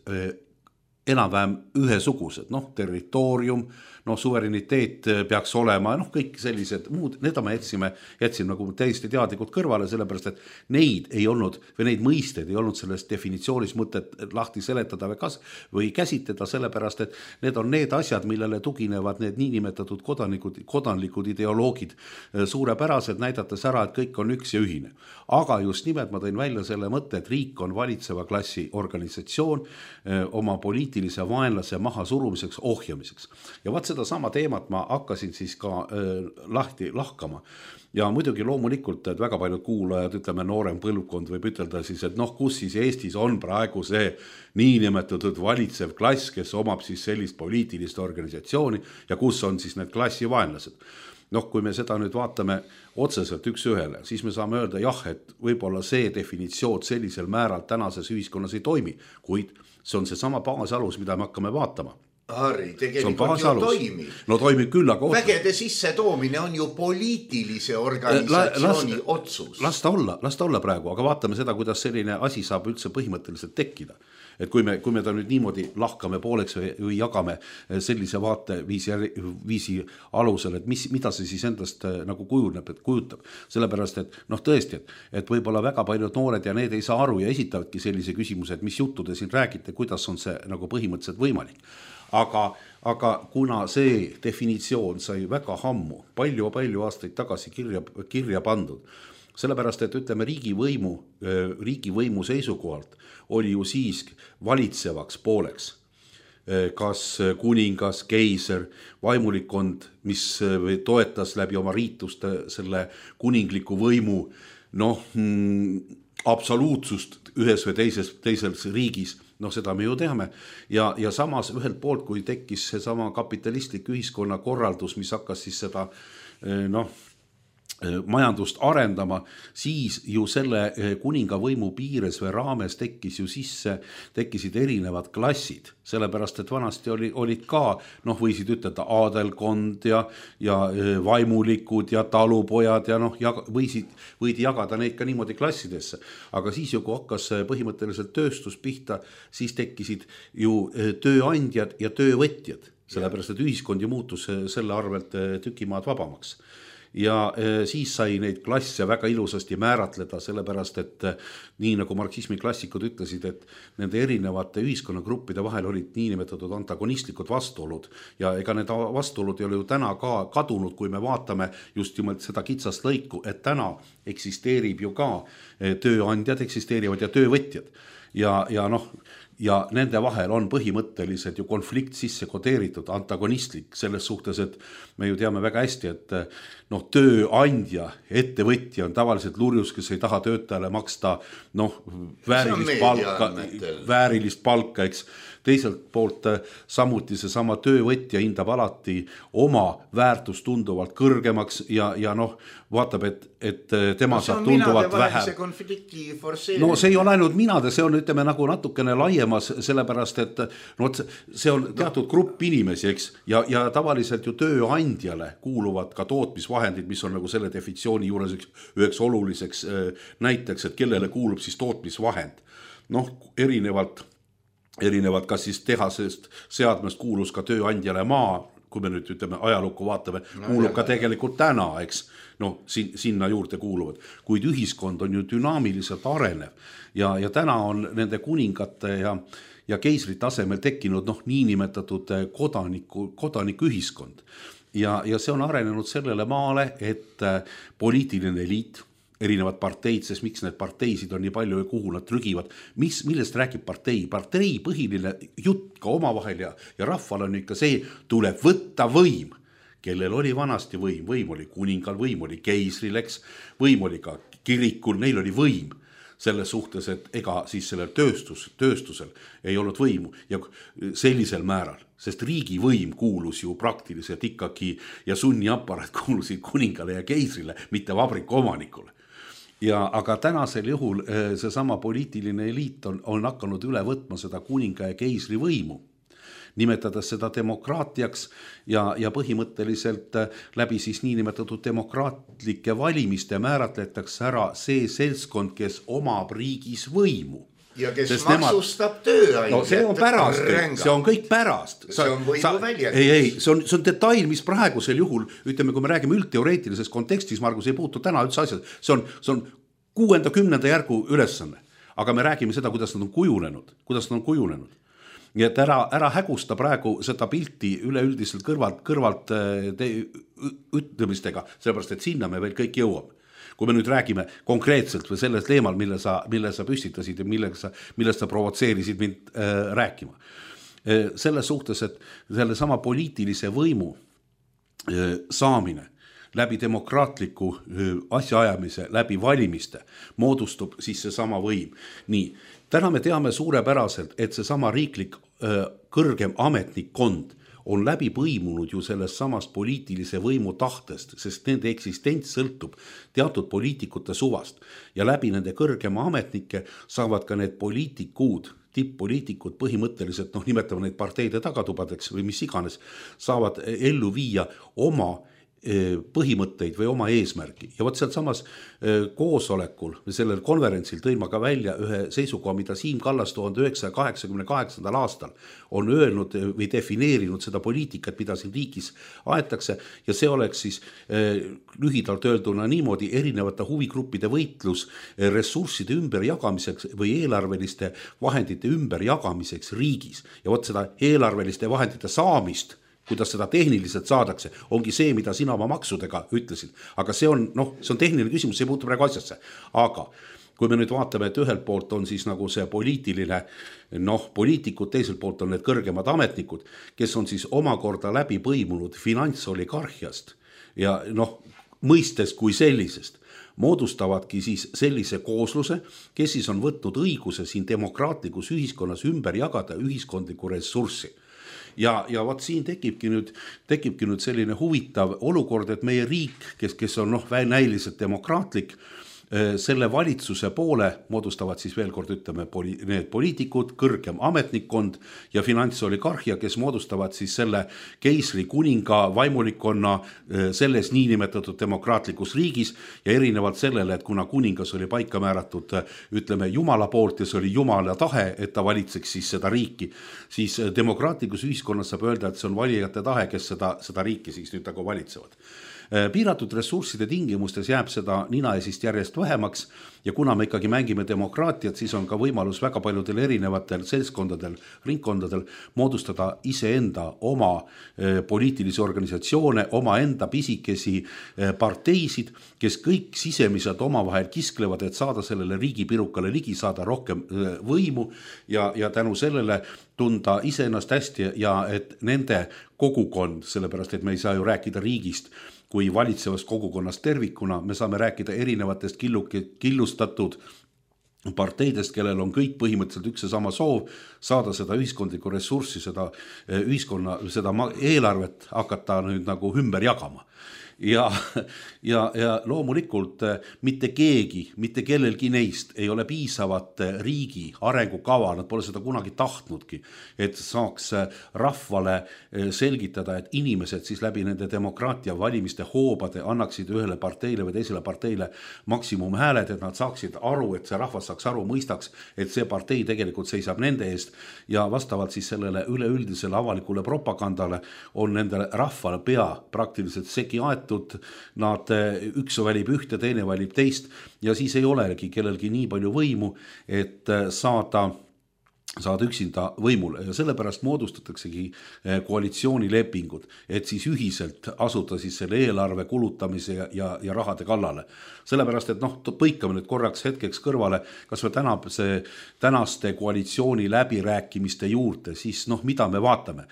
enam-vähem ühesugused, noh, territoorium, noh, suvereniteet peaks olema, noh, kõik sellised muud, need me jätsime, jätsime nagu täiesti teadlikult kõrvale, sellepärast, et neid ei olnud, või neid mõisteid ei olnud selles definitsioonis mõtet lahti seletada või, kas, või käsitleda, sellepärast, et need on need asjad, millele tuginevad need niinimetatud kodanikud, kodanlikud ideoloogid suurepärased, näidates ära, et kõik on üks ja ühine. Aga just nimelt ma tõin välja selle mõtte, et riik on valitseva klassi organisatsioon oma poliitika poliitilise vaenlase maha surumiseks, ohjamiseks. Ja vaat seda sama teemat ma hakkasin siis ka äh, lahti lahkama. Ja muidugi loomulikult, et väga paljud kuulajad, ütleme noorem põlvkond võib ütelda siis, et noh, kus siis Eestis on praegu see niinimetatud valitsev klass, kes omab siis sellist poliitilist organisatsiooni ja kus on siis need klassivaenlased. Noh, kui me seda nüüd vaatame otseselt üks ühele, siis me saame öelda jah, et võib-olla see definitsioon sellisel määral tänases ühiskonnas ei toimi, kuid see on see sama baasalus, mida me hakkame vaatama. Harri, tegelikult ju toimib. No toimib küll, aga... Vägede sisse toomine on ju poliitilise organisatsiooni las, otsus. Las ta olla, las ta olla praegu, aga vaatame seda, kuidas selline asi saab üldse põhimõtteliselt tekkida. Et kui me, kui me ta nüüd niimoodi lahkame pooleks või, või jagame sellise vaate viisi, viisi alusel, et mis, mida see siis endast nagu kujuneb, et kujutab. Sellepärast, et noh tõesti, et, et võib-olla väga paljud noored ja need ei saa aru ja esitavadki sellise küsimuse, et mis juttu te siin räägite, kuidas on see nagu põhimõtteliselt võimalik. Aga, aga kuna see definitsioon sai väga hammu, palju-palju aastaid tagasi kirja, kirja pandud, sellepärast, et ütleme riigivõimu, riigivõimu seisukohalt oli ju siis valitsevaks pooleks. Kas kuningas, keiser, vaimulikkond, mis toetas läbi oma riituste selle kuningliku võimu noh, absoluutsust ühes või teises, teises riigis, noh seda me ju teame ja, ja samas ühelt poolt, kui tekkis see sama kapitalistlik ühiskonna korraldus, mis hakkas siis seda noh, majandust arendama, siis ju selle kuninga võimu piires või raames tekkis ju sisse, tekkisid erinevad klassid, sellepärast et vanasti oli, olid ka, noh võisid ütelda aadelkond ja, ja vaimulikud ja talupojad ja noh, ja võisid, võidi jagada neid ka niimoodi klassidesse. Aga siis ju, kui hakkas põhimõtteliselt tööstus pihta, siis tekkisid ju tööandjad ja töövõtjad, sellepärast et ühiskond ju muutus selle arvelt tükimaad vabamaks. Ja siis sai neid klasse väga ilusasti määratleda, sellepärast et nii nagu marksismi klassikud ütlesid, et nende erinevate ühiskonnagruppide vahel olid niinimetatud antagonistlikud vastuolud ja ega need vastuolud ei ole ju täna ka kadunud, kui me vaatame just nimelt seda kitsast lõiku, et täna eksisteerib ju ka tööandjad eksisteerivad ja töövõtjad ja, ja noh, ja nende vahel on põhimõtteliselt ju konflikt sisse kodeeritud, antagonistlik selles suhtes, et me ju teame väga hästi, et noh, tööandja, ettevõtja on tavaliselt lurjus, kes ei taha töötajale maksta noh, väärilist palka, väärilist palka, eks. Teiselt poolt samuti see sama töövõtja hindab alati oma väärtust tunduvalt kõrgemaks ja, ja noh, vaatab, et, et tema no, saab tunduvalt vähem. No see ei ole ainult minade, see on ütleme nagu natukene laiemas, sellepärast et no, see on teatud grupp inimesi, eks, ja, ja tavaliselt ju tööandjale kuuluvad ka tootmisvahendid, mis on nagu selle definitsiooni juures üks, üheks oluliseks näiteks, et kellele kuulub siis tootmisvahend. Noh, erinevalt erinevad kas siis tehasest seadmest kuulus ka tööandjale maa, kui me nüüd ütleme ajalukku vaatame, kuulub ka tegelikult täna, eks, noh, sinna juurde kuuluvad. Kuid ühiskond on ju dünaamiliselt arenev ja, ja täna on nende kuningate ja, ja keisrite asemel tekkinud noh, niinimetatud kodaniku, kodaniku ühiskond. Ja, ja see on arenenud sellele maale, et poliitiline eliit, erinevad parteid, sest miks need parteisid on nii palju ja kuhu nad trügivad. Mis, millest räägib partei? Partei põhiline jutt ka omavahel ja, ja rahval on ikka see, tuleb võtta võim, kellel oli vanasti võim. Võim oli kuningal, võim oli keisril, eks, võim oli ka kirikul, neil oli võim selles suhtes, et ega siis sellel tööstus, tööstusel ei olnud võimu ja sellisel määral, sest riigi võim kuulus ju praktiliselt ikkagi ja sunniapparat kuulusid kuningale ja keisrile, mitte vabriku omanikule. Ja, aga tänasel juhul see sama poliitiline eliit on, on hakanud üle võtma seda kuninga ja keisri võimu, nimetades seda demokraatiaks ja, ja põhimõtteliselt läbi siis niinimetatud demokraatlike valimiste määratletakse ära see seltskond, kes omab riigis võimu. Ja kes Sest maksustab nemad... tööandjad. No see on pärast, see on kõik pärast. See on võimu väljendus. Ei, ei, see on, see on detail, mis praegusel juhul, ütleme, kui me räägime üldteoreetilises kontekstis, Margus ei puutu täna üldse asjad, see on, see on kuuenda kümnenda järgu ülesanne. Aga me räägime seda, kuidas nad on kujunenud, kuidas nad on kujunenud. Nii et ära, ära hägusta praegu seda pilti üleüldiselt kõrvalt, kõrvalt te, ütlemistega, sellepärast, et sinna me veel kõik jõuame. Kui me nüüd räägime konkreetselt või selles teemal, mille sa, mille sa püstitasid ja millega sa, millest sa provotseerisid mind äh, rääkima. selles suhtes, et selle sama poliitilise võimu saamine läbi demokraatliku asjaajamise, läbi valimiste moodustub siis see sama võim. Nii, täna me teame suurepäraselt, et see sama riiklik kõrgem ametnikkond on läbi põimunud ju sellest samast poliitilise võimu tahtest, sest nende eksistents sõltub teatud poliitikute suvast ja läbi nende kõrgema ametnike saavad ka need poliitikud, tipp-poliitikud põhimõtteliselt, noh nimetame neid parteide tagatubadeks või mis iganes, saavad ellu viia oma põhimõtteid või oma eesmärki. Ja võt sealt samas koosolekul või sellel konverentsil tõin ma ka välja ühe seisukoha, mida Siim Kallas tuhande üheksasaja kaheksakümne kaheksandal aastal on öelnud või defineerinud seda poliitikat, mida siin riigis aetakse ja see oleks siis lühidalt öelduna niimoodi erinevate huvigruppide võitlus ressursside ümberjagamiseks või eelarveliste vahendite ümberjagamiseks riigis ja võt seda eelarveliste vahendite saamist kuidas seda tehniliselt saadakse, ongi see, mida sina oma maksudega ütlesid. Aga see on, noh, see on tehniline küsimus, see ei puutu praegu asjasse. Aga kui me nüüd vaatame, et ühelt poolt on siis nagu see poliitiline, noh, poliitikud, teiselt poolt on need kõrgemad ametnikud, kes on siis omakorda läbi põimunud finantsoligarhiast ja noh, mõistes kui sellisest, moodustavadki siis sellise koosluse, kes siis on võtnud õiguse siin demokraatlikus ühiskonnas ümber jagada ühiskondliku ressurssi. Ja, ja vaat siin tekibki nüüd, tekibki nüüd selline huvitav olukord, et meie riik, kes, kes on noh, näiliselt demokraatlik, selle valitsuse poole moodustavad siis veel kord ütleme poli, need poliitikud, kõrgem ametnikkond ja finantsoligarhia, kes moodustavad siis selle keisri kuninga vaimulikkonna selles niinimetatud demokraatlikus riigis ja erinevalt sellele, et kuna kuningas oli paika määratud ütleme Jumala poolt ja see oli Jumala tahe, et ta valitseks siis seda riiki, siis demokraatlikus ühiskonnas saab öelda, et see on valijate tahe, kes seda, seda riiki siis nüüd nagu valitsevad. Piiratud ressursside tingimustes jääb seda nina esist järjest vähemaks ja kuna me ikkagi mängime demokraatiat, siis on ka võimalus väga paljudel erinevatel seltskondadel, ringkondadel moodustada iseenda oma poliitilisi organisatsioone, oma enda pisikesi parteisid, kes kõik sisemiselt omavahel kisklevad, et saada sellele riigipirukale ligi, saada rohkem võimu ja, ja tänu sellele tunda iseennast hästi ja et nende kogukond, sellepärast et me ei saa ju rääkida riigist, kui valitsevast kogukonnast tervikuna, me saame rääkida erinevatest killu, killustatud parteidest, kellel on kõik põhimõtteliselt üks ja sama soov saada seda ühiskondlikku ressurssi, seda ühiskonna, seda eelarvet hakata nüüd nagu ümber jagama. Ja, ja, ja loomulikult mitte keegi, mitte kellelgi neist ei ole piisavat riigi arengukava, nad pole seda kunagi tahtnudki, et saaks rahvale selgitada, et inimesed siis läbi nende demokraatia valimiste hoobade annaksid ühele parteile või teisele parteile maksimumhääled, et nad saaksid aru, et see rahvas saaks aru, mõistaks, et see partei tegelikult seisab nende eest ja vastavalt siis sellele üleüldisele avalikule propagandale on nende rahvale pea praktiliselt segi aetud, nad üks valib ühte, teine valib teist ja siis ei olegi kellelgi nii palju võimu, et saada, saada üksinda võimule ja sellepärast moodustataksegi koalitsioonilepingud, et siis ühiselt asuda siis selle eelarve kulutamise ja, ja, ja rahade kallale. Sellepärast, et noh, põikame nüüd korraks hetkeks kõrvale, kas me täna see tänaste koalitsiooni läbirääkimiste juurde, siis noh, mida me vaatame?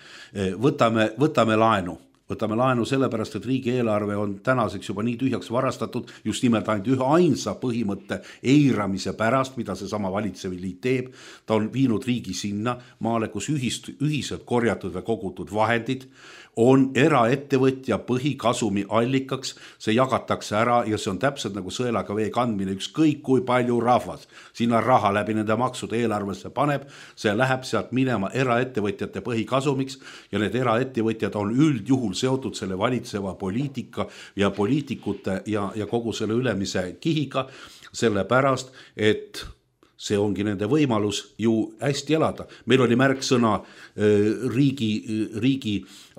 Võtame, võtame laenu. Võtame laenu sellepärast, et riigieelarve on tänaseks juba nii tühjaks varastatud, just nimelt ainult ühe ainsa põhimõtte eiramise pärast, mida see sama valitseviliit teeb. Ta on viinud riigi sinna maale, kus ühist, ühiselt korjatud või kogutud vahendid on eraettevõtja põhikasumi allikaks, see jagatakse ära ja see on täpselt nagu sõelaga vee kandmine, ükskõik kui palju rahvas sinna raha läbi nende maksude eelarvesse paneb, see läheb sealt minema eraettevõtjate põhikasumiks ja need eraettevõtjad on üldjuhul seotud selle valitseva poliitika ja poliitikute ja, ja kogu selle ülemise kihiga, sellepärast, et see ongi nende võimalus ju hästi elada. Meil oli märksõna riigi, riigi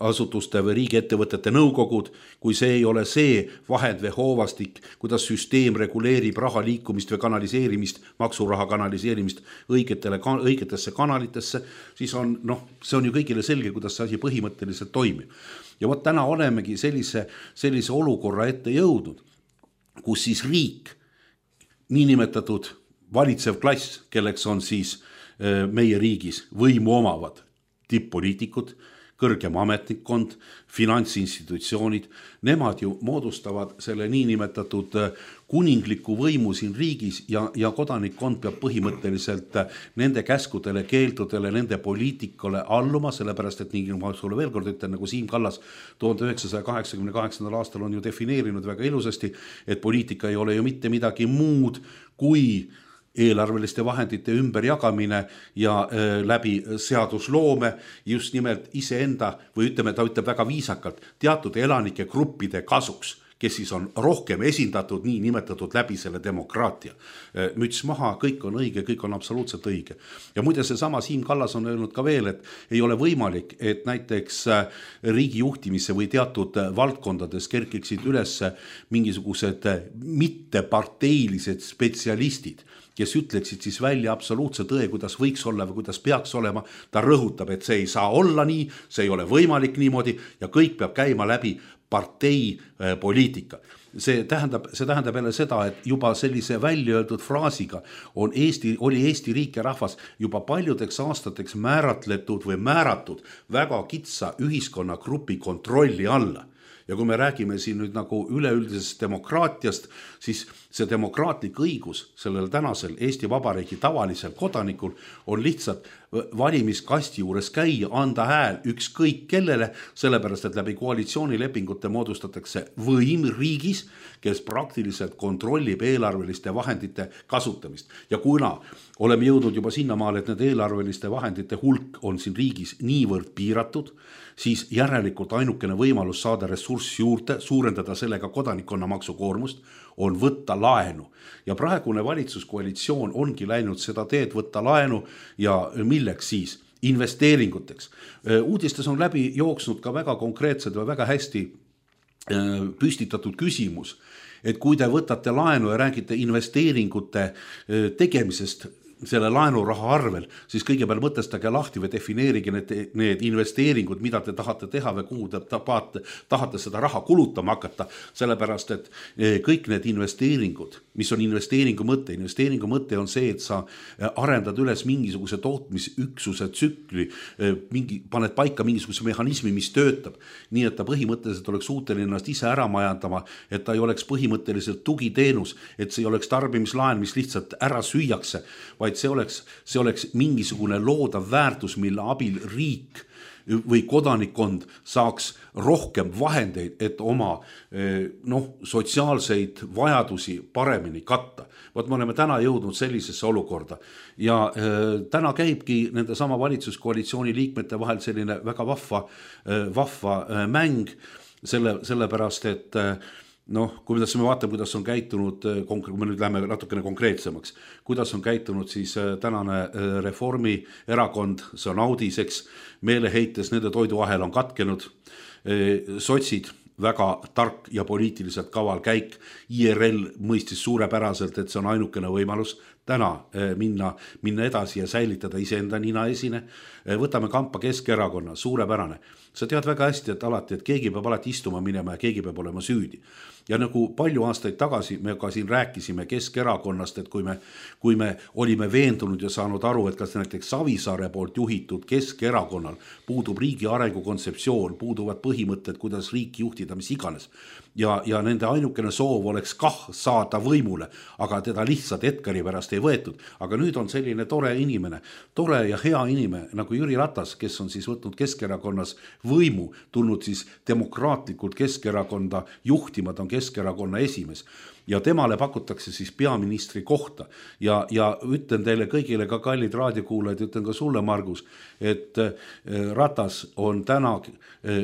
asutuste või riigiettevõtete nõukogud, kui see ei ole see vahend või hoovastik, kuidas süsteem reguleerib raha liikumist või kanaliseerimist, maksuraha kanaliseerimist õigetele, õigetesse kanalitesse, siis on, noh, see on ju kõigile selge, kuidas see asi põhimõtteliselt toimib. Ja võt täna olemegi sellise, sellise olukorra ette jõudnud, kus siis riik, niinimetatud valitsev klass, kelleks on siis meie riigis võimu omavad, tipp-poliitikud, kõrgem ametnikkond, finantsinstitutsioonid, nemad ju moodustavad selle niinimetatud kuningliku võimu siin riigis ja, ja kodanikkond peab põhimõtteliselt nende käskudele, keeldudele, nende poliitikale alluma, sellepärast et nii ma sulle veel kord ütlen, nagu Siim Kallas tuhande üheksasaja kaheksakümne kaheksandal aastal on ju defineerinud väga ilusasti, et poliitika ei ole ju mitte midagi muud kui eelarveliste vahendite ümberjagamine ja äh, läbi seadusloome just nimelt iseenda või ütleme, ta ütleb väga viisakalt, teatud elanike gruppide kasuks, kes siis on rohkem esindatud nii nimetatud läbi selle demokraatia. Müts maha, kõik on õige, kõik on absoluutselt õige. Ja muide seesama Siim Kallas on öelnud ka veel, et ei ole võimalik, et näiteks riigi juhtimisse või teatud valdkondades kerkiksid üles mingisugused mitteparteilised spetsialistid, kes ütleksid siis välja absoluutse tõe, kuidas võiks olla või kuidas peaks olema. Ta rõhutab, et see ei saa olla nii, see ei ole võimalik niimoodi ja kõik peab käima läbi partei poliitika. See tähendab, see tähendab jälle seda, et juba sellise välja öeldud fraasiga on Eesti, oli Eesti riik ja rahvas juba paljudeks aastateks määratletud või määratud väga kitsa ühiskonnagrupi kontrolli alla. Ja kui me räägime siin nüüd nagu üleüldisest demokraatiast, siis see demokraatlik õigus sellel tänasel Eesti Vabariigi tavalisel kodanikul on lihtsalt valimiskasti juures käia, anda hääl ükskõik kellele, sellepärast et läbi koalitsioonilepingute moodustatakse võim riigis, kes praktiliselt kontrollib eelarveliste vahendite kasutamist. Ja kuna oleme jõudnud juba sinnamaale, et need eelarveliste vahendite hulk on siin riigis niivõrd piiratud, siis järelikult ainukene võimalus saada ressurss juurde, suurendada sellega kodanikkonna maksukoormust, on võtta laenu. Ja praegune valitsuskoalitsioon ongi läinud seda teed võtta laenu ja milleks siis? Investeeringuteks. Uudistes on läbi jooksnud ka väga konkreetsed või väga hästi püstitatud küsimus, et kui te võtate laenu ja räägite investeeringute tegemisest selle laenuraha arvel, siis kõigepealt mõtestage lahti või defineerige need, need investeeringud, mida te tahate teha või kuhu te tahate, tahate seda raha kulutama hakata, sellepärast et kõik need investeeringud, mis on investeeringu mõte, investeeringu mõte on see, et sa arendad üles mingisuguse tootmisüksuse tsükli, mingi, paned paika mingisuguse mehhanismi, mis töötab, nii et ta põhimõtteliselt oleks suuteline ennast ise ära majandama, et ta ei oleks põhimõtteliselt tugiteenus, et see ei oleks tarbimislaen, mis lihtsalt ära süüakse, vaid see oleks, see oleks mingisugune loodav väärtus, mille abil riik või kodanikkond saaks rohkem vahendeid, et oma noh, sotsiaalseid vajadusi paremini katta. Võt me oleme täna jõudnud sellisesse olukorda ja äh, täna käibki nende sama valitsuskoalitsiooni liikmete vahel selline väga vahva, äh, vahva äh, mäng, selle, sellepärast et äh, noh, kui me vaatame, kuidas on käitunud, kui me nüüd läheme natukene konkreetsemaks, kuidas on käitunud siis tänane Reformierakond, see on audiseks, meeleheites, nende toiduahel on katkenud, sotsid, väga tark ja poliitiliselt kaval käik, I R L mõistis suurepäraselt, et see on ainukene võimalus täna minna, minna edasi ja säilitada iseenda nina esine. Võtame kampa Keskerakonna, suurepärane. Sa tead väga hästi, et alati, et keegi peab alati istuma minema ja keegi peab olema süüdi. Ja nagu palju aastaid tagasi me ka siin rääkisime Keskerakonnast, et kui me, kui me olime veendunud ja saanud aru, et kas näiteks Savisaare poolt juhitud Keskerakonnal puudub riigi arengu kontseptsioon, puuduvad põhimõtted, kuidas riiki juhtida, mis iganes. Ja, ja nende ainukene soov oleks kah saada võimule, aga teda lihtsalt Edgari pärast ei võetud. Aga nüüd on selline tore inimene, tore ja hea inimene nagu Jüri Ratas, kes on siis võtnud Keskerakonnas võimu, tulnud siis demokraatlikult Keskerakonda juhtima, ta on Keskerakonna esimees. Ja temale pakutakse siis peaministri kohta ja, ja ütlen teile kõigile ka kallid raadiokuulajad, ütlen ka sulle, Margus, et Ratas on täna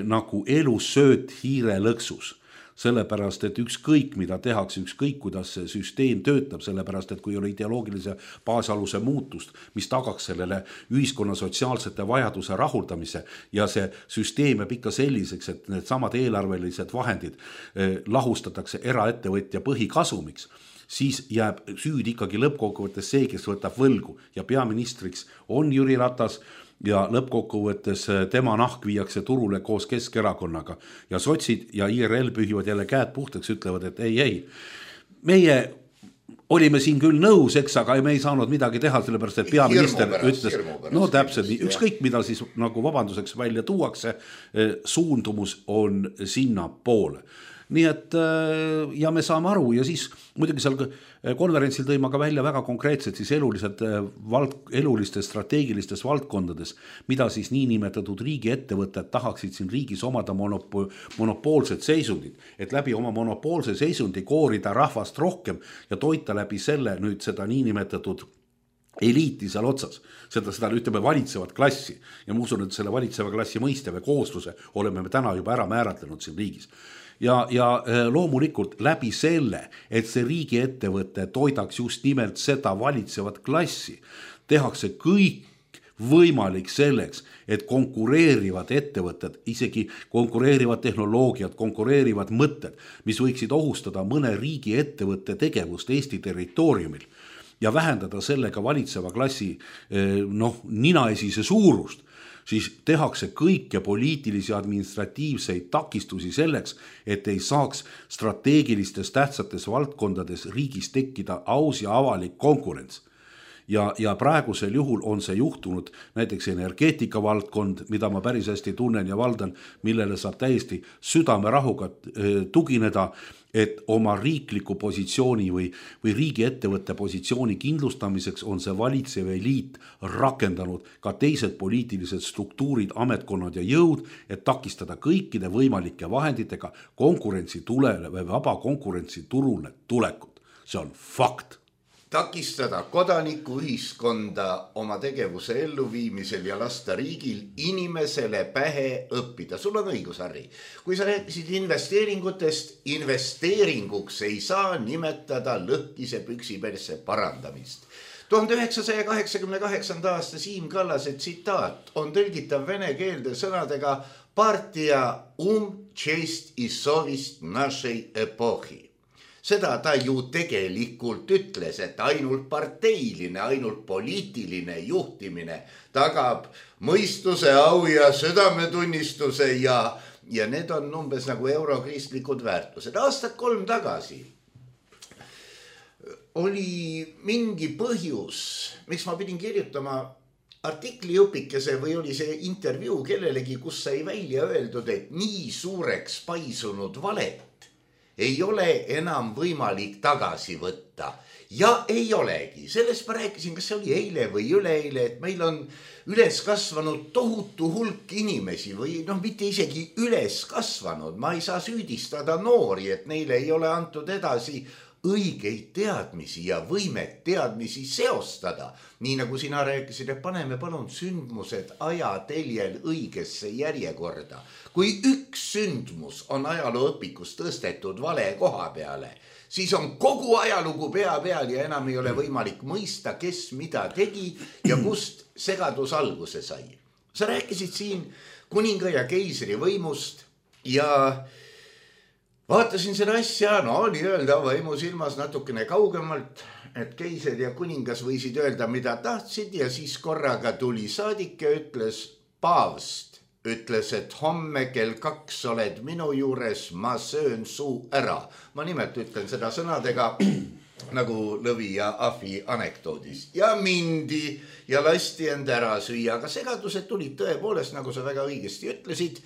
nagu elusööt hiire lõksus. Sellepärast, et ükskõik mida tehakse, ükskõik kuidas see süsteem töötab, sellepärast, et kui ei ole ideoloogilise baasaluse muutust, mis tagaks sellele ühiskonna sotsiaalsete vajaduse rahuldamise ja see süsteem jääb ikka selliseks, et need samad eelarvelised vahendid eh, lahustatakse eraettevõtja põhikasumiks, siis jääb süüd ikkagi lõppkokkuvõttes see, kes võtab võlgu ja peaministriks on Jüri Ratas ja lõppkokkuvõttes tema nahk viiakse turule koos Keskerakonnaga ja sotsid ja I R L pühivad jälle käed puhtaks, ütlevad, et ei, ei, meie olime siin küll nõus, eks, aga me ei saanud midagi teha, sellepärast, et peaminister pärast, ütles, no täpselt, ükskõik mida siis nagu vabanduseks välja tuuakse, suundumus on sinna poole. Nii et ja me saame aru ja siis muidugi seal konverentsil tõi ma ka välja väga konkreetselt siis elulised vald, elulistes strateegilistes valdkondades, mida siis niinimetatud riigi ettevõtted tahaksid siin riigis omada monopo, monopoolsed seisundid, et läbi oma monopoolse seisundi koorida rahvast rohkem ja toita läbi selle nüüd seda niinimetatud eliiti seal otsas, seda, seda ütleme valitsevat klassi ja ma usun, et selle valitseva klassi mõiste või koosluse oleme me täna juba ära määratlenud siin riigis. Ja, ja loomulikult läbi selle, et see riigi ettevõte toidaks just nimelt seda valitsevat klassi, tehakse kõik võimalik selleks, et konkureerivad ettevõtted, isegi konkureerivad tehnoloogiad, konkureerivad mõtted, mis võiksid ohustada mõne riigi ettevõtte tegevust Eesti territooriumil ja vähendada sellega valitseva klassi noh, ninaesise suurust, siis tehakse kõike poliitilisi administratiivseid takistusi selleks, et ei saaks strateegilistes tähtsates valdkondades riigis tekkida aus ja avalik konkurents. Ja, ja praegusel juhul on see juhtunud näiteks energeetika valdkond, mida ma päris hästi tunnen ja valdan, millele saab täiesti südamerahuga tugineda, et oma riikliku positsiooni või, või riigi ettevõtte positsiooni kindlustamiseks on see valitsev eliit rakendanud ka teised poliitilised struktuurid, ametkonnad ja jõud, et takistada kõikide võimalike vahenditega konkurentsi tulele või vaba konkurentsi turule tulekut. See on fakt. Takistada kodanikuühiskonda oma tegevuse elluviimisel ja lasta riigil inimesele pähe õppida. Sul on õigus, Harri. Kui sa rääkisid investeeringutest, investeeringuks ei saa nimetada lõhkise püksiperse parandamist. tuhande üheksasaja kaheksakümne kaheksanda aasta Siim Kallase tsitaat on tõlgitav vene keelde sõnadega partia um čest i sovist našej epohi. Seda ta ju tegelikult ütles, et ainult parteiline, ainult poliitiline juhtimine tagab mõistuse, au ja südametunnistuse ja, ja need on umbes nagu eurokristlikud väärtused. Aastat kolm tagasi oli mingi põhjus, miks ma pidin kirjutama artikli jupikese või oli see intervjuu kellelegi, kus sai välja öeldud, et nii suureks paisunud valet ei ole enam võimalik tagasi võtta. Ja ei olegi. Sellest ma rääkisin, kas see oli eile või üleeile, et meil on üles kasvanud tohutu hulk inimesi või noh, mitte isegi üles kasvanud. Ma ei saa süüdistada noori, et neile ei ole antud edasi õigeid teadmisi ja võimet teadmisi seostada. Nii nagu sina rääkisid, et paneme palun sündmused ajateljel õigesse järjekorda. Kui üks sündmus on ajalooõpikus tõstetud vale koha peale, siis on kogu ajalugu pea peal ja enam ei ole võimalik mõista, kes mida tegi ja kust segadus alguse sai. Sa rääkisid siin kuninga ja keisri võimust ja vaatasin seda asja, no nii-öelda võimu silmas natukene kaugemalt, et keiser ja kuningas võisid öelda, mida tahtsid ja siis korraga tuli saadik ja ütles paavst. Ütles, et homme kell kaks oled minu juures, ma söön suu ära. Ma nimelt ütlen seda sõnadega nagu Lõvi ja Ahvi anekdoodis. Ja mindi ja lasti end ära süüa, aga segadused tulid tõepoolest, nagu sa väga õigesti ütlesid,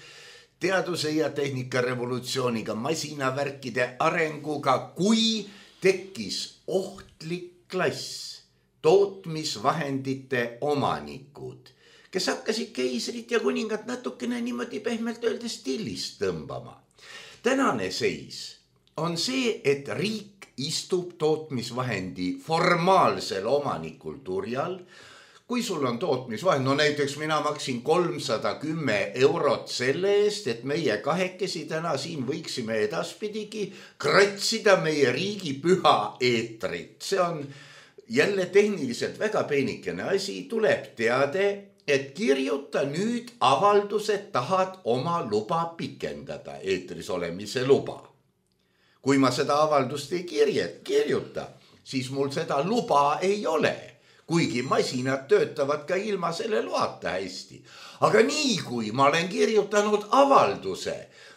teaduse ja tehnika revolutsiooniga, masinavärkide arenguga, kui tekkis ohtlik klass, tootmisvahendite omanikud, kes hakkasid keisrit ja kuningat natukene niimoodi pehmelt öeldes stillist tõmbama. Tänane seis on see, et riik istub tootmisvahendi formaalsel omanikul turjal. Kui sul on tootmisvahend, no näiteks mina maksin kolmsada kümme eurot selle eest, et meie kahekesi täna siin võiksime edaspidigi kratsida meie riigi püha eetrit. See on jälle tehniliselt väga peenikene asi, tuleb teade, et kirjuta nüüd avaldused, tahad oma luba pikendada, eetris olemise luba. Kui ma seda avaldust ei kirjet, kirjuta, siis mul seda luba ei ole. kuigi masinad töötavad ka ilma selle loata hästi. Aga nii kui ma olen kirjutanud avalduse,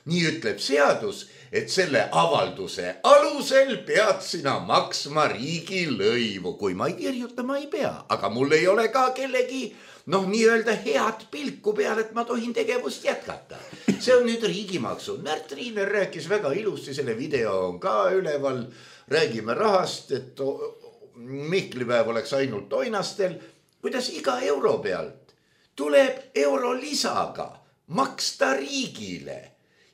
nii ütleb seadus, et selle avalduse alusel pead sina maksma riigilõivu. Kui ma ei kirjuta, ma ei pea, aga mul ei ole ka kellegi noh, nii öelda head pilku peal, et ma tohin tegevust jätkata. See on nüüd riigimaksu. Märt Riiner rääkis väga ilusti, selle video on ka üleval. Räägime rahast, et Mihklipäev oleks ainult toinastel. Kuidas iga euro pealt tuleb euro lisaga maksta riigile.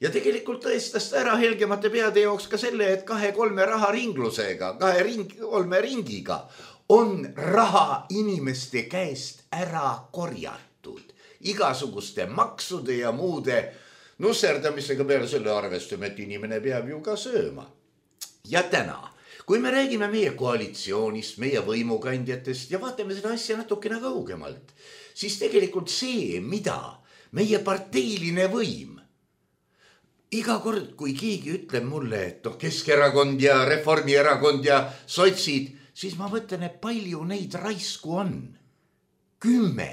Ja tegelikult tõestas ta ära helgemate peade jooks ka selle, et kahe-kolme raharinglusega, kahe ring, kolme ringiga on raha inimeste käest ära korjatud. Igasuguste maksude ja muude nusserdamisega peale selle arvestame, et inimene peab ju ka sööma. Ja täna, kui me räägime meie koalitsioonist, meie võimukandjatest ja vaatame seda asja natukene kaugemalt, siis tegelikult see, mida meie parteiline võim iga kord, kui keegi ütleb mulle, et noh, Keskerakond ja Reformierakond ja sotsid, siis ma mõtlen, et palju neid raisku on. Kümme,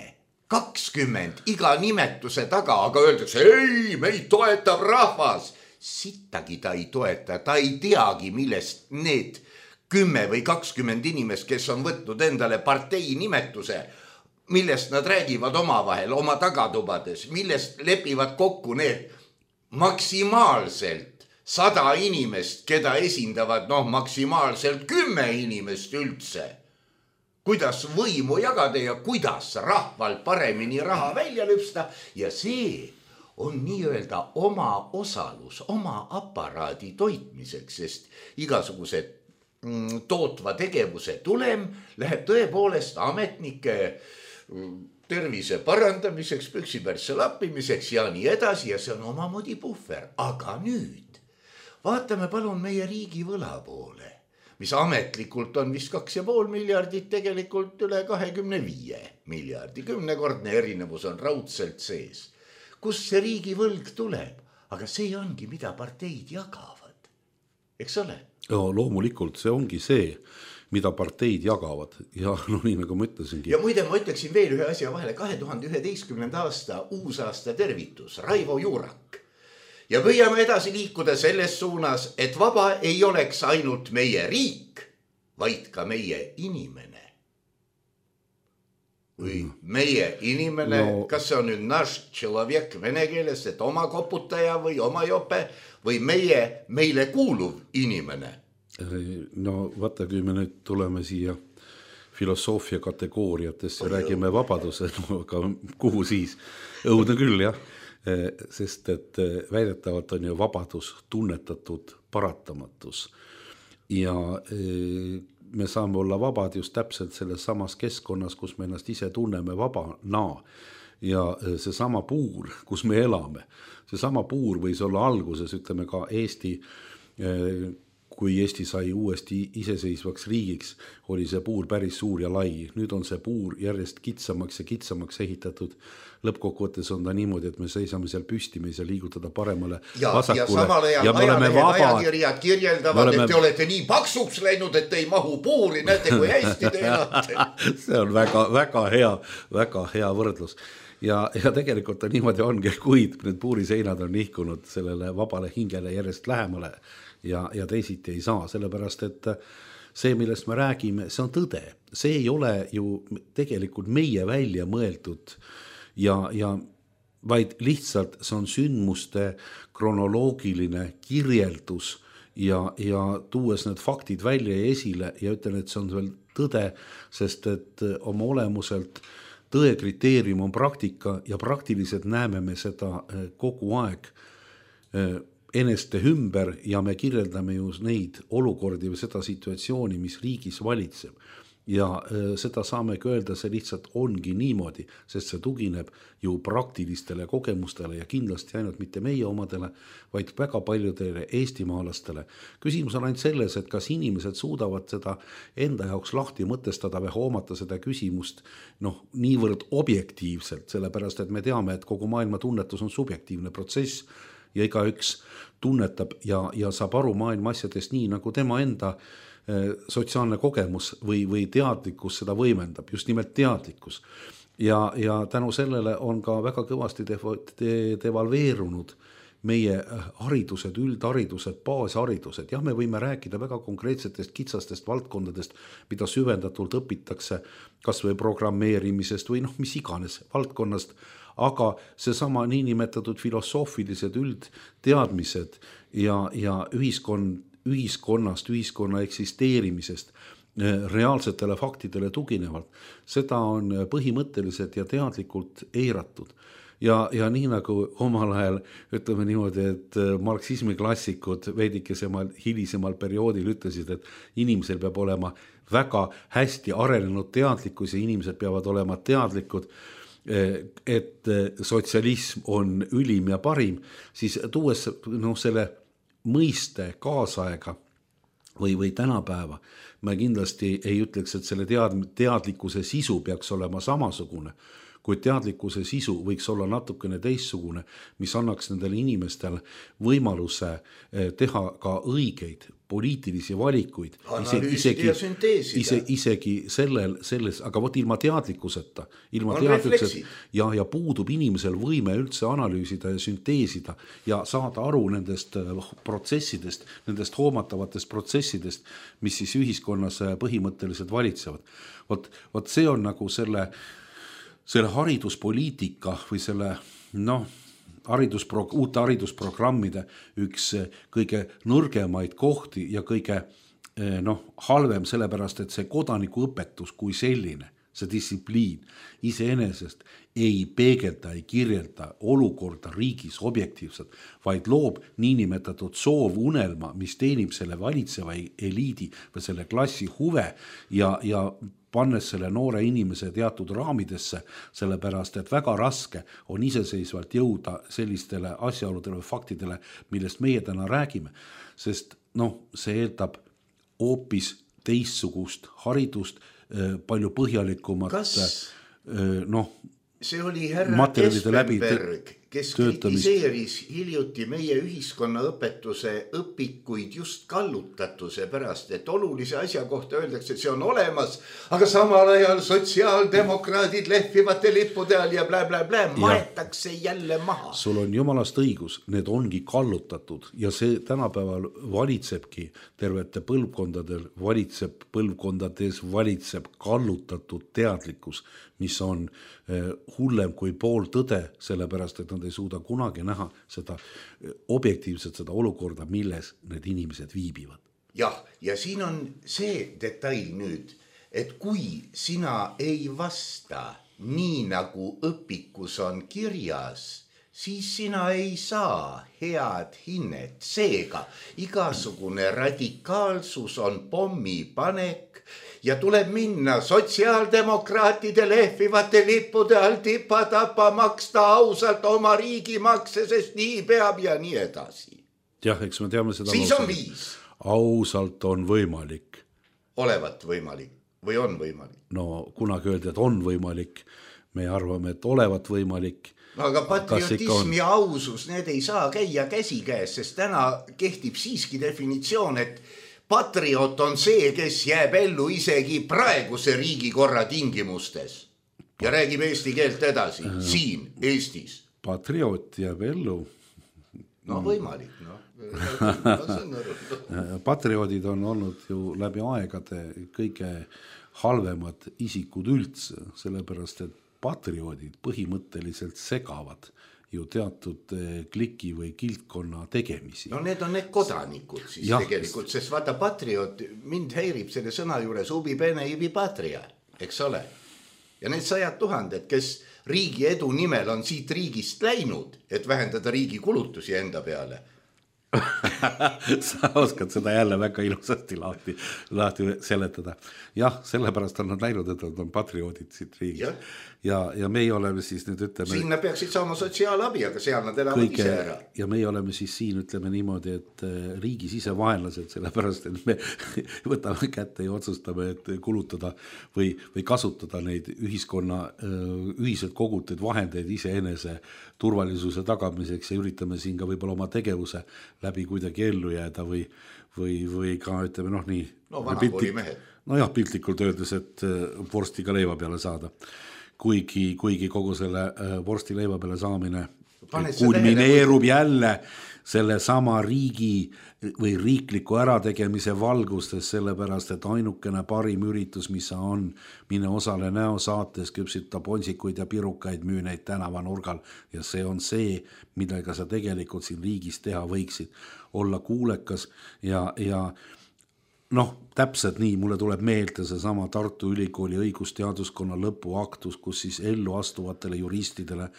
kakskümmend iga nimetuse taga, aga öeldakse, ei, meid toetab rahvas. Sittagi ta ei toeta, ta ei teagi, millest need kümme või kakskümmend inimest, kes on võtnud endale partei nimetuse, millest nad räägivad omavahel, oma tagatubades, millest lepivad kokku need maksimaalselt sada inimest, keda esindavad noh, maksimaalselt kümme inimest üldse. Kuidas võimu jagada ja kuidas rahval paremini raha välja lüpsta ja see on nii-öelda oma osalus, oma aparaadi toitmiseks, sest igasugused mm, tootva tegevuse tulem läheb tõepoolest ametnike tervise parandamiseks, püksipärsse lappimiseks ja nii edasi ja see on omamoodi puhver. Aga nüüd vaatame palun meie riigi võla poole, mis ametlikult on vist kaks ja pool miljardit, tegelikult üle kahekümne viie miljardi. Kümnekordne erinevus on raudselt sees. Kust see riigi võlg tuleb? Aga see ongi, mida parteid jagavad. Eks ole? Ja, loomulikult see ongi see, mida parteid jagavad ja no nii nagu ma ütlesingi. Ja muide ma ütleksin veel ühe asja vahele, kahe tuhande üheteistkümnenda aasta uusaasta tervitus, Raivo Juurak. Ja püüame edasi liikuda selles suunas, et vaba ei oleks ainult meie riik, vaid ka meie inimene. Või meie inimene, no, kas see on nüüd naš človek vene keeles, et oma koputaja või oma jope või meie, meile kuuluv inimene. No vaata, kui me nüüd tuleme siia filosoofia kategooriatest ja räägime vabaduse, no, aga kuhu siis? Õudne küll, jah. Sest et väidetavalt on ju vabadus tunnetatud paratamatus. Ja me saame olla vabad just täpselt selles samas keskkonnas, kus me ennast ise tunneme vabana. Ja see sama puur, kus me elame, see sama puur võis olla alguses, ütleme ka Eesti, kui Eesti sai uuesti iseseisvaks riigiks, oli see puur päris suur ja lai. Nüüd on see puur järjest kitsamaks ja kitsamaks ehitatud. Lõppkokkuvõttes on ta niimoodi, et me seisame seal püsti, me ei saa liigutada paremale ja, vasakule. Ja samal ajal ajalehed, ajakirjad kirjeldavad, oleme... et te olete nii paksuks läinud, et ei mahu puuri, näete kui hästi te elate. See on väga, väga hea, väga hea võrdlus. Ja, ja tegelikult on niimoodi ongi, kuid need puuriseinad on nihkunud sellele vabale hingele järjest lähemale ja, ja teisiti ei saa, sellepärast et see, millest me räägime, see on tõde. See ei ole ju tegelikult meie välja mõeldud ja, ja vaid lihtsalt see on sündmuste kronoloogiline kirjeldus ja, ja tuues need faktid välja ja esile ja ütlen, et see on veel tõde, sest et oma olemuselt tõe kriteerium on praktika ja praktiliselt näeme me seda kogu aeg eneste ümber ja me kirjeldame ju neid olukordi või seda situatsiooni, mis riigis valitseb. Ja seda saamegi öelda, see lihtsalt ongi niimoodi, sest see tugineb ju praktilistele kogemustele ja kindlasti ainult mitte meie omadele, vaid väga paljudele eestimaalastele. Küsimus on ainult selles, et kas inimesed suudavad seda enda jaoks lahti mõtestada või hoomata seda küsimust noh, niivõrd objektiivselt, sellepärast et me teame, et kogu maailma tunnetus on subjektiivne protsess ja igaüks tunnetab ja, ja saab aru maailma asjadest nii, nagu tema enda sotsiaalne kogemus või, või teadlikkus seda võimendab, just nimelt teadlikkus. Ja, ja tänu sellele on ka väga kõvasti devalveerunud meie haridused, üldharidused, baasharidused. Jah, me võime rääkida väga konkreetsetest kitsastest valdkondadest, mida süvendatult õpitakse kas või programmeerimisest või noh, mis iganes valdkonnast, aga seesama niinimetatud filosoofilised üldteadmised ja, ja ühiskond, ühiskonnast, ühiskonna eksisteerimisest reaalsetele faktidele tuginevalt, seda on põhimõtteliselt ja teadlikult eiratud. Ja, ja nii nagu omal ajal ütleme niimoodi, et marksismi klassikud veidikesemal hilisemal perioodil ütlesid, et inimesel peab olema väga hästi arenenud teadlikkus ja inimesed peavad olema teadlikud, et sotsialism on ülim ja parim, siis tuues no, selle mõiste kaasaega või, või tänapäeva, ma kindlasti ei ütleks, et selle tead, teadlikkuse sisu peaks olema samasugune, kuid teadlikkuse sisu võiks olla natukene teistsugune, mis annaks nendele inimestele võimaluse teha ka õigeid poliitilisi valikuid. Analüüsida ja sünteesida. Ise, isegi sellel, selles, aga võt ilma teadlikkuseta, ilma teadlikkuseta ja, ja puudub inimesel võime üldse analüüsida ja sünteesida ja saada aru nendest protsessidest, nendest hoomatavatest protsessidest, mis siis ühiskonnas põhimõtteliselt valitsevad. Vot, vot see on nagu selle selle hariduspoliitika või selle noh, hariduspro, uute haridusprogrammide üks kõige nõrgemaid kohti ja kõige noh, halvem sellepärast, et see kodanikuõpetus kui selline, see distsipliin iseenesest ei peegelda, ei kirjelda olukorda riigis objektiivselt, vaid loob niinimetatud soovunelma, mis teenib selle valitseva eliidi või selle klassi huve ja, ja pannes selle noore inimese teatud raamidesse, sellepärast, et väga raske on iseseisvalt jõuda sellistele asjaoludele või faktidele, millest meie täna räägime, sest noh, see eeldab hoopis teistsugust haridust, palju põhjalikumat Kas noh, see oli härra Espenberg, kes töötamist. kritiseeris hiljuti meie ühiskonna õpetuse õpikuid just kallutatuse pärast, et olulise asja kohta öeldakse, et see on olemas, aga samal ajal sotsiaaldemokraadid lehvivate lippude all ja blä, blä, blä, maetakse jälle maha. Sul on jumalast õigus, need ongi kallutatud ja see tänapäeval valitsebki tervete põlvkondadel, valitseb põlvkondades, valitseb kallutatud teadlikkus, mis on hullem kui pool tõde, sellepärast, et nad ei suuda kunagi näha seda objektiivset seda olukorda, milles need inimesed viibivad. Jah, ja siin on see detail nüüd, et kui sina ei vasta nii nagu õpikus on kirjas, siis sina ei saa head hinnet. Seega igasugune radikaalsus on pommipanek ja tuleb minna sotsiaaldemokraatide lehvivate lippude all tipa tapa maksta ausalt oma riigimakse, sest nii peab ja nii edasi. Jah, eks me teame seda. Siis on viis. Ausalt on võimalik. Olevat võimalik või on võimalik? No kunagi öeldi, et on võimalik. Me arvame, et olevat võimalik. No, aga patriotism ja ausus, need ei saa käia käsi käes, sest täna kehtib siiski definitsioon, et patriot on see, kes jääb ellu isegi praeguse riigikorra tingimustes ja räägib eesti keelt edasi, äh, siin Eestis. Patriot jääb ellu. No võimalik, no. Patrioodid on olnud ju läbi aegade kõige halvemad isikud üldse, sellepärast, et patrioodid põhimõtteliselt segavad ju teatud kliki või kiltkonna tegemisi. No need on need kodanikud siis ja, tegelikult, sest vaata patriot, mind häirib selle sõna juures ubi bene ibi patria, eks ole. Ja need sajad tuhanded, kes riigi edu nimel on siit riigist läinud, et vähendada riigi kulutusi enda peale. Sa oskad seda jälle väga ilusasti lahti, lahti seletada. Jah, sellepärast on nad läinud, et nad on patrioodid siit riigist. Ja. Ja, ja meie oleme siis nüüd ütleme... Siin nad peaksid saama sotsiaalabi, aga seal nad elavad kõige, ise ära. Ja meie oleme siis siin ütleme niimoodi, et riigis ise vaenlased, sellepärast, et me võtame kätte ja otsustame, et kulutada või, või kasutada neid ühiskonna ühiselt kogutud vahendeid iseenese turvalisuse tagamiseks ja üritame siin ka võib-olla oma tegevuse läbi kuidagi ellu jääda või, või, või ka ütleme noh nii. No vanakooli mehed. Nojah, piltlikult öeldes, et vorsti ka leiva peale saada. Kuigi, kuigi kogu selle vorsti leiva peale saamine kulmineerub jälle selle sama riigi või riikliku ärategemise valgustes, sellepärast, et ainukene parim üritus, mis on, mine osale näosaates, küpsita ponsikuid ja pirukaid, müü neid tänavanurgal ja see on see, millega sa tegelikult siin riigis teha võiksid. Olla kuulekas ja, ja noh, täpselt nii, mulle tuleb meelde see sama Tartu Ülikooli õigusteaduskonna lõpuaktus, kus siis ellu astuvatele juristidele,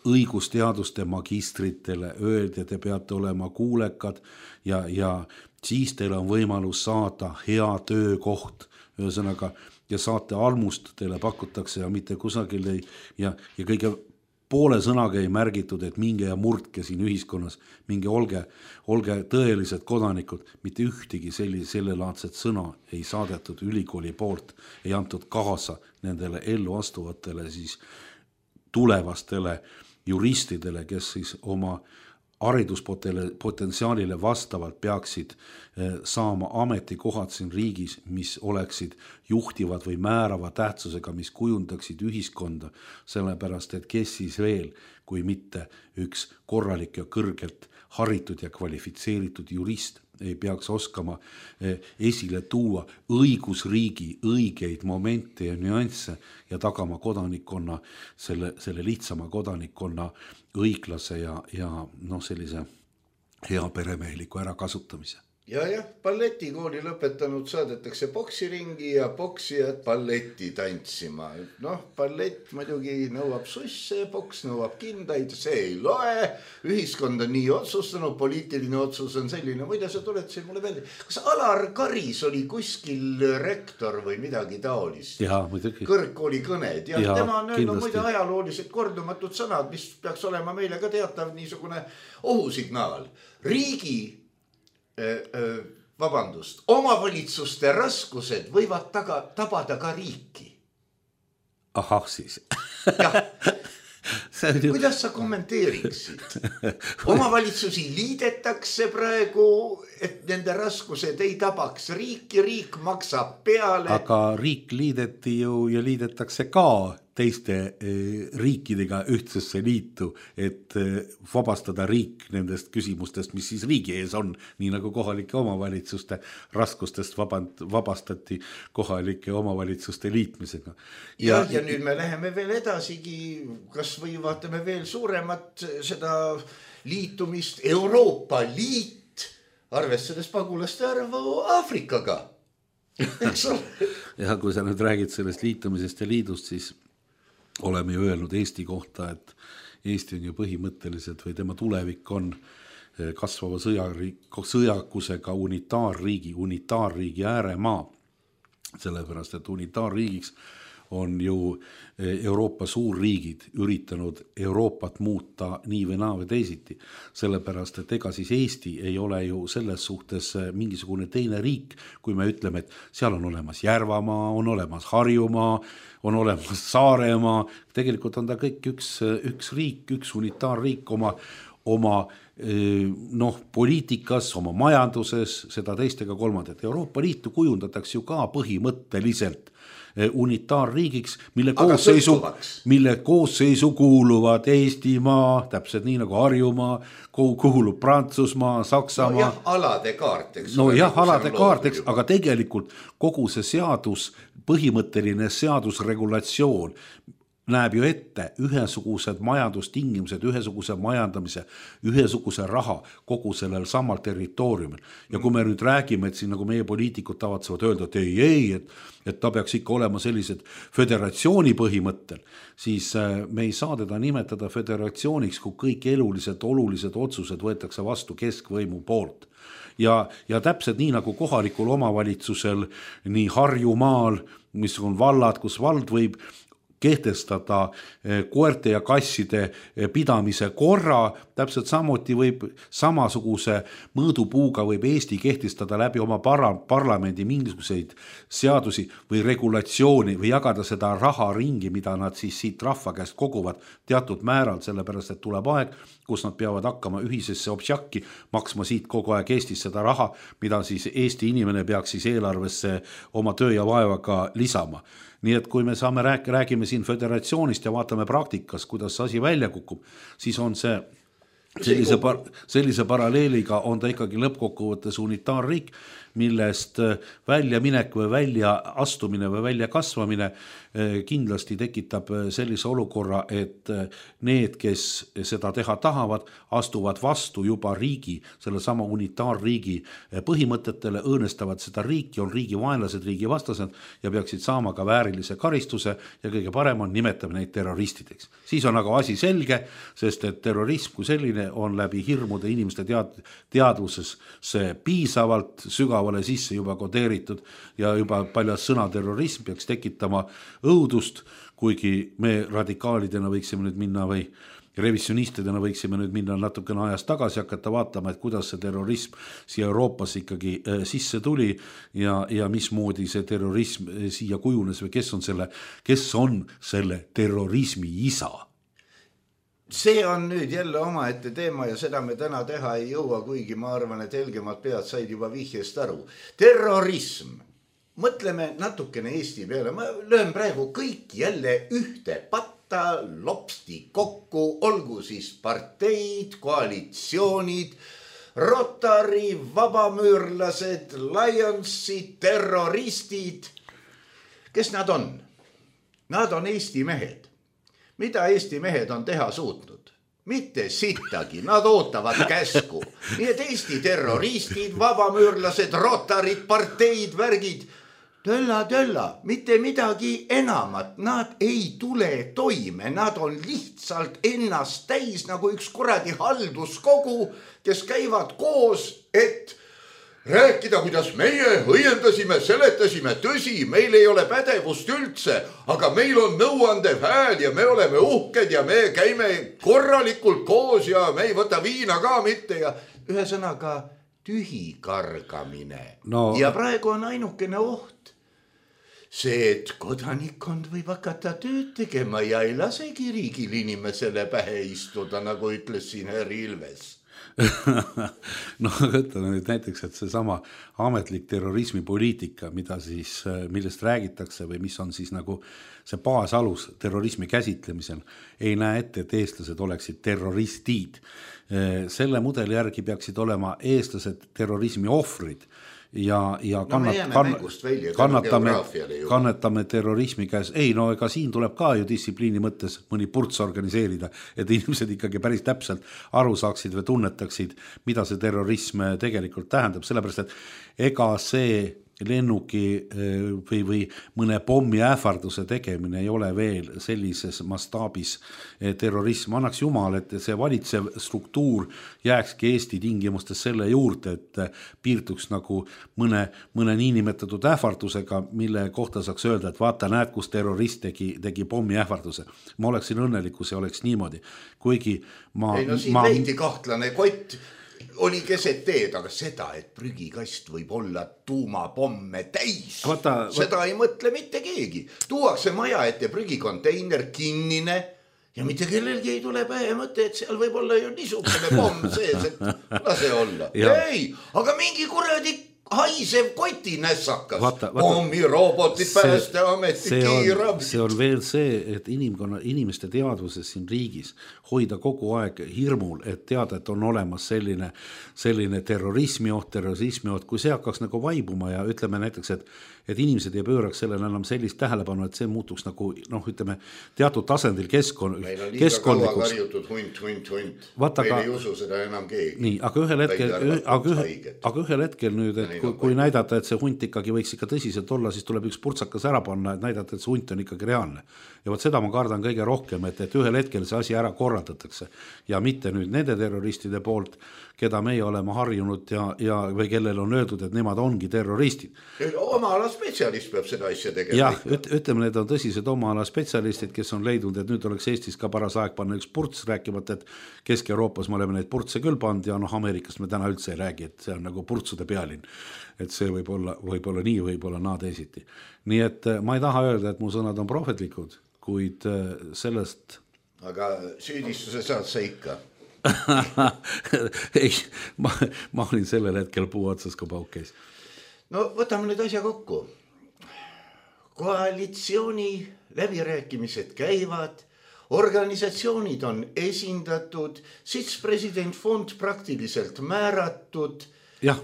õigusteaduste magistritele öeldi, et te peate olema kuulekad ja, ja siis teil on võimalus saada hea töökoht, ühesõnaga, ja saate almust teile pakutakse ja mitte kusagil ei, ja, ja kõige poole sõnaga ei märgitud, et minge ja murdke siin ühiskonnas, minge olge, olge tõelised kodanikud, mitte ühtegi selli, sellelaadset sõna ei saadetud ülikooli poolt, ei antud kaasa nendele ellu astuvatele siis tulevastele juristidele, kes siis oma hariduspotentsiaalile vastavalt peaksid saama ametikohad siin riigis, mis oleksid juhtivad või määrava tähtsusega, mis kujundaksid ühiskonda, sellepärast, et kes siis veel, kui mitte üks korralik ja kõrgelt haritud ja kvalifitseeritud jurist ei peaks oskama esile tuua õigusriigi õigeid momente ja nüansse ja tagama kodanikkonna, selle, selle lihtsama kodanikkonna õiglase ja, ja noh, sellise hea peremeheliku ärakasutamise. Ja jah, balletikooli lõpetanud saadetakse poksiringi ja poksijad balletti tantsima. Noh, ballett muidugi nõuab susse, poks nõuab kindaid, see ei loe. Ühiskond on nii otsustanud, poliitiline otsus on selline. Muide, sa tuled siin mulle välja. Kas Alar Karis oli kuskil rektor või midagi taolist? Jaa, muidugi. Kõrgkooli kõned. Ja, ja tema on öelnud muide ajaloolised kordumatud sõnad, mis peaks olema meile ka teatav niisugune ohusignaal. Riigi vabandust, omavalitsuste raskused võivad taga, tabada ka riiki. Ahah siis. Jah. Kuidas sa kommenteeriksid? Omavalitsusi liidetakse praegu, et nende raskused ei tabaks riiki, riik maksab peale. Aga riik liideti ju ja liidetakse ka teiste riikidega ühtsesse liitu, et vabastada riik nendest küsimustest, mis siis riigi ees on, nii nagu kohalike omavalitsuste raskustest vaband, vabastati kohalike omavalitsuste liitmisega. Ja, ja, ja nüüd me läheme veel edasigi, kas või vaatame veel suuremat seda liitumist, Euroopa Liit, arvestades pagulaste arvu Aafrikaga. Ja kui sa nüüd räägid sellest liitumisest ja liidust, siis oleme ju öelnud Eesti kohta, et Eesti on ju põhimõtteliselt või tema tulevik on kasvava sõjakusega unitaarriigi, unitaarriigi ääremaa. Sellepärast, et unitaarriigiks on ju Euroopa suurriigid üritanud Euroopat muuta nii või naa või teisiti. Sellepärast, et ega siis Eesti ei ole ju selles suhtes mingisugune teine riik, kui me ütleme, et seal on olemas Järvamaa, on olemas Harjumaa, on olemas Saaremaa. Tegelikult on ta kõik üks, üks riik, üks unitaarriik oma, oma noh, poliitikas, oma majanduses, seda teistega kolmandat. Euroopa Liitu kujundatakse ju ka põhimõtteliselt unitaarriigiks, mille koosseisu, mille koosseisu kuuluvad Eestimaa, täpselt nii nagu Harjumaa, kuulub Prantsusmaa, Saksamaa. No jah, alade kaart, eks. No jah, alade kaart, eks, aga tegelikult kogu see seadus, põhimõtteline seadusregulatsioon näeb ju ette ühesugused majandustingimused, ühesuguse majandamise, ühesuguse raha kogu sellel samal territooriumil. Ja kui me nüüd räägime, et siin nagu meie poliitikud tavatsevad öelda, et ei, ei, et, et ta peaks ikka olema sellised föderatsiooni põhimõttel, siis me ei saa teda nimetada föderatsiooniks, kui kõik elulised, olulised otsused võetakse vastu keskvõimu poolt. Ja, ja täpselt nii nagu kohalikul omavalitsusel, nii Harjumaal, mis on vallad, kus vald võib kehtestada koerte ja kasside pidamise korra, täpselt samuti võib samasuguse mõõdupuuga võib Eesti kehtestada läbi oma para- parlamendi mingisuguseid seadusi või regulatsiooni või jagada seda raha ringi, mida nad siis siit rahva käest koguvad teatud määral, sellepärast et tuleb aeg, kus nad peavad hakkama ühisesse obsjakki maksma siit kogu aeg Eestis seda raha, mida siis Eesti inimene peaks siis eelarvesse oma töö ja vaevaga lisama. Nii et kui me saame rääk- räägime siin föderatsioonist ja vaatame praktikas, kuidas see asi välja kukub, siis on see sellise, par- sellise paralleeliga on ta ikkagi lõppkokkuvõttes unitaarriik, millest välja minek või välja astumine või välja kasvamine kindlasti tekitab sellise olukorra, et need, kes seda teha tahavad, astuvad vastu juba riigi, selle sama unitaarriigi põhimõtetele, õõnestavad seda riiki, on riigi vaenlased, riigi vastased ja peaksid saama ka väärilise karistuse ja kõige parem on nimetame neid terroristideks. Siis on aga asi selge, sest et terrorism kui selline on läbi hirmude inimeste tead- teadvuses see piisavalt sügavale sisse juba kodeeritud ja juba paljas sõna terrorism peaks tekitama õudust, kuigi me radikaalidena võiksime nüüd minna või revisionistidena võiksime nüüd minna natukene ajas tagasi hakata vaatama, et kuidas see terrorism siia Euroopas ikkagi sisse tuli ja, ja mismoodi see terrorism siia kujunes või kes on selle, kes on selle terrorismi isa. See on nüüd jälle omaette teema ja seda me täna teha ei jõua, kuigi ma arvan, et helgemad pead said juba vihjest aru. Terrorism. Mõtleme natukene Eesti peale. Ma löön praegu kõik jälle ühte patta lopsti kokku, olgu siis parteid, koalitsioonid, Rotary, vabamüürlased, Lionsid, terroristid. Kes nad on? Nad on Eesti mehed. Mida Eesti mehed on teha suutnud? Mitte sittagi, nad ootavad käsku. Nii et Eesti terroristid, vabamüürlased, Rotarid, parteid, värgid, tölla, tölla, mitte midagi enamat. Nad ei tule toime, nad on lihtsalt ennast täis nagu üks kuradi halduskogu, kes käivad koos, et rääkida, kuidas meie õiendasime, seletasime, tõsi, meil ei ole pädevust üldse, aga meil on nõuandev hääl ja me oleme uhked ja me käime korralikult koos ja me ei võta viina ka mitte ja ühesõnaga tühi kargamine. No. Ja praegu on ainukene oht see, et kodanikkond võib hakata tööd tegema ja ei lasegi riigil inimesele pähe istuda, nagu ütles siin Herri Ilves. No ütleme nüüd näiteks, et see sama ametlik terrorismipoliitika, mida siis, millest räägitakse või mis on siis nagu see baasalus terrorismi käsitlemisel, ei näe ette, et eestlased oleksid terroristid. Selle mudeli järgi peaksid olema eestlased terrorismi ohvrid ja, ja kannat, no kannat, välja, kannatame, kannatame terrorismi käes. Ei, no ega siin tuleb ka ju distsipliini mõttes mõni purts organiseerida, et inimesed ikkagi päris täpselt aru saaksid või tunnetaksid, mida see terrorism tegelikult tähendab, sellepärast, et ega see lennuki või, või mõne pommi ähvarduse tegemine ei ole veel sellises mastaabis terrorism. Annaks jumal, et see valitsev struktuur jääkski Eesti tingimustes selle juurde, et piirduks nagu mõne, mõne niinimetatud ähvardusega, mille kohta saaks öelda, et vaata, näed, kus terrorist tegi, tegi pommi ähvarduse. Ma oleksin õnnelik, kui see oleks niimoodi. Kuigi ma... Ei, no siin ma... leidi kahtlane kott oli keset teed, aga seda, et prügikast võib olla tuumapomme täis, vaata, seda vaata. Ei mõtle mitte keegi. Tuuakse maja ette prügikonteiner kinnine ja mitte kellelgi ei tule pähe mõte, et seal võib olla ju niisugune pomm sees, et lase olla. Ei, aga mingi kuradi haisev koti nässakas. Pommi, robotid, päästeameti, kiirab. See on veel see, et inimkonna, inimeste teadvuses siin riigis hoida kogu aeg hirmul, et teada, et on olemas selline, selline terrorismi oht, terrorismi oht, kui see hakkaks nagu vaibuma ja ütleme näiteks, et, et inimesed ei pööraks sellele enam sellist tähelepanu, et see muutuks nagu, noh, ütleme, teatud tasandil keskkond, meil on liiga kaua karjutud hunt, hunt, hunt. Vaata, meil ei usu seda enam keegi. Nii, aga ühel hetkel, aga, ühe, aga ühel hetkel nüüd, et kui, kui näidata, et see hunt ikkagi võiks ikka tõsiselt olla, siis tuleb üks purtsakas ära panna, et näidata, et see hunt on ikkagi reaalne. Ja võt seda ma kardan kõige rohkem, et, et ühel hetkel see asi ära korraldatakse ja mitte nüüd nende terroristide poolt, keda meie oleme harjunud ja, ja või kellel on öeldud, et nemad ongi terroristid. Oma spetsialist peab seda asja tegema. jah, üt, ütleme, need on tõsised oma ala spetsialistid, kes on leidnud, et nüüd oleks Eestis ka paras aeg panna üks purts, rääkimata, et Kesk-Euroopas me oleme neid purtse küll pand ja noh, Ameerikast me täna üldse ei räägi, et see on nagu purtsude pealinn. Et see võib olla, võib olla nii, võib olla naa teisiti. Nii et ma ei taha öelda, et mu sõnad on prohvetlikud, kuid sellest... Aga süüdistuse saad sa ikka? ei, ma, ma olin sellel hetkel puu otsas, kui pauk käis. No võtame nüüd asja kokku. Koalitsiooni läbirääkimised käivad, organisatsioonid on esindatud, sitspresident fond praktiliselt määratud. Jah,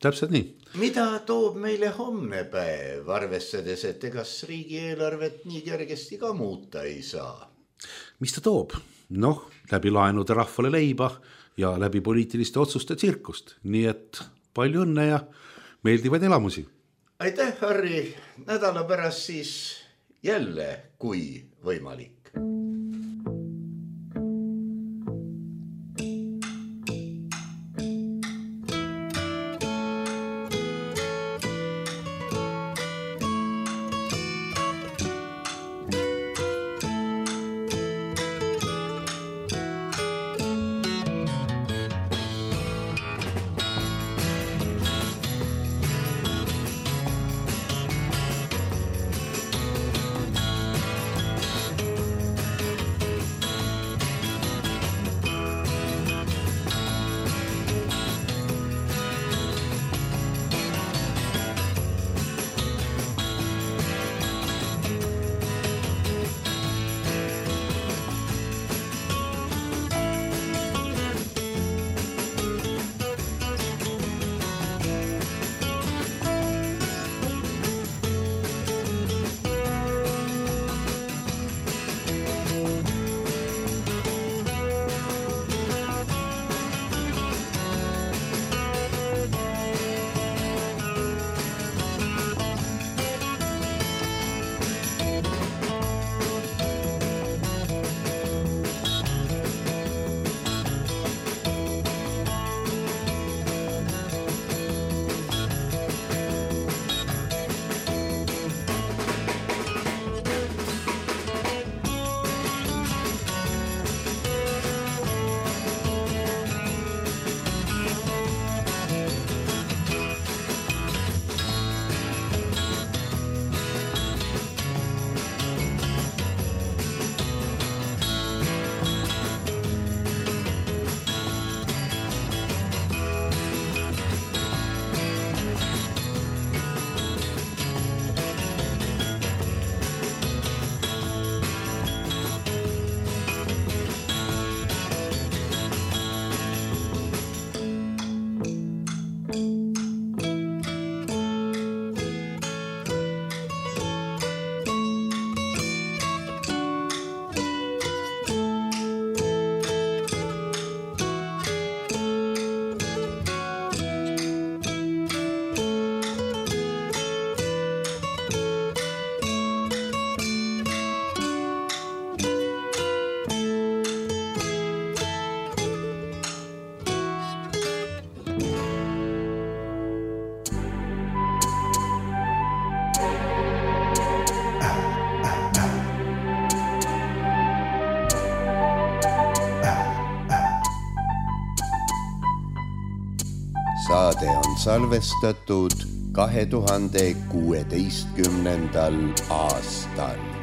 täpselt nii. Mida toob meile homne päev, arvestades, et egas riigieelarvet nii kergesti ka muuta ei saa? Mis ta toob? Noh, läbi laenude rahvale leiba ja läbi poliitiliste otsuste tsirkust. Nii et palju õnne ja meeldivaid elamusi. Aitäh, Harri. Nädala pärast siis jälle, kui võimalik. Saade on salvestatud kahe tuhande kuueteistkümnendal aastal.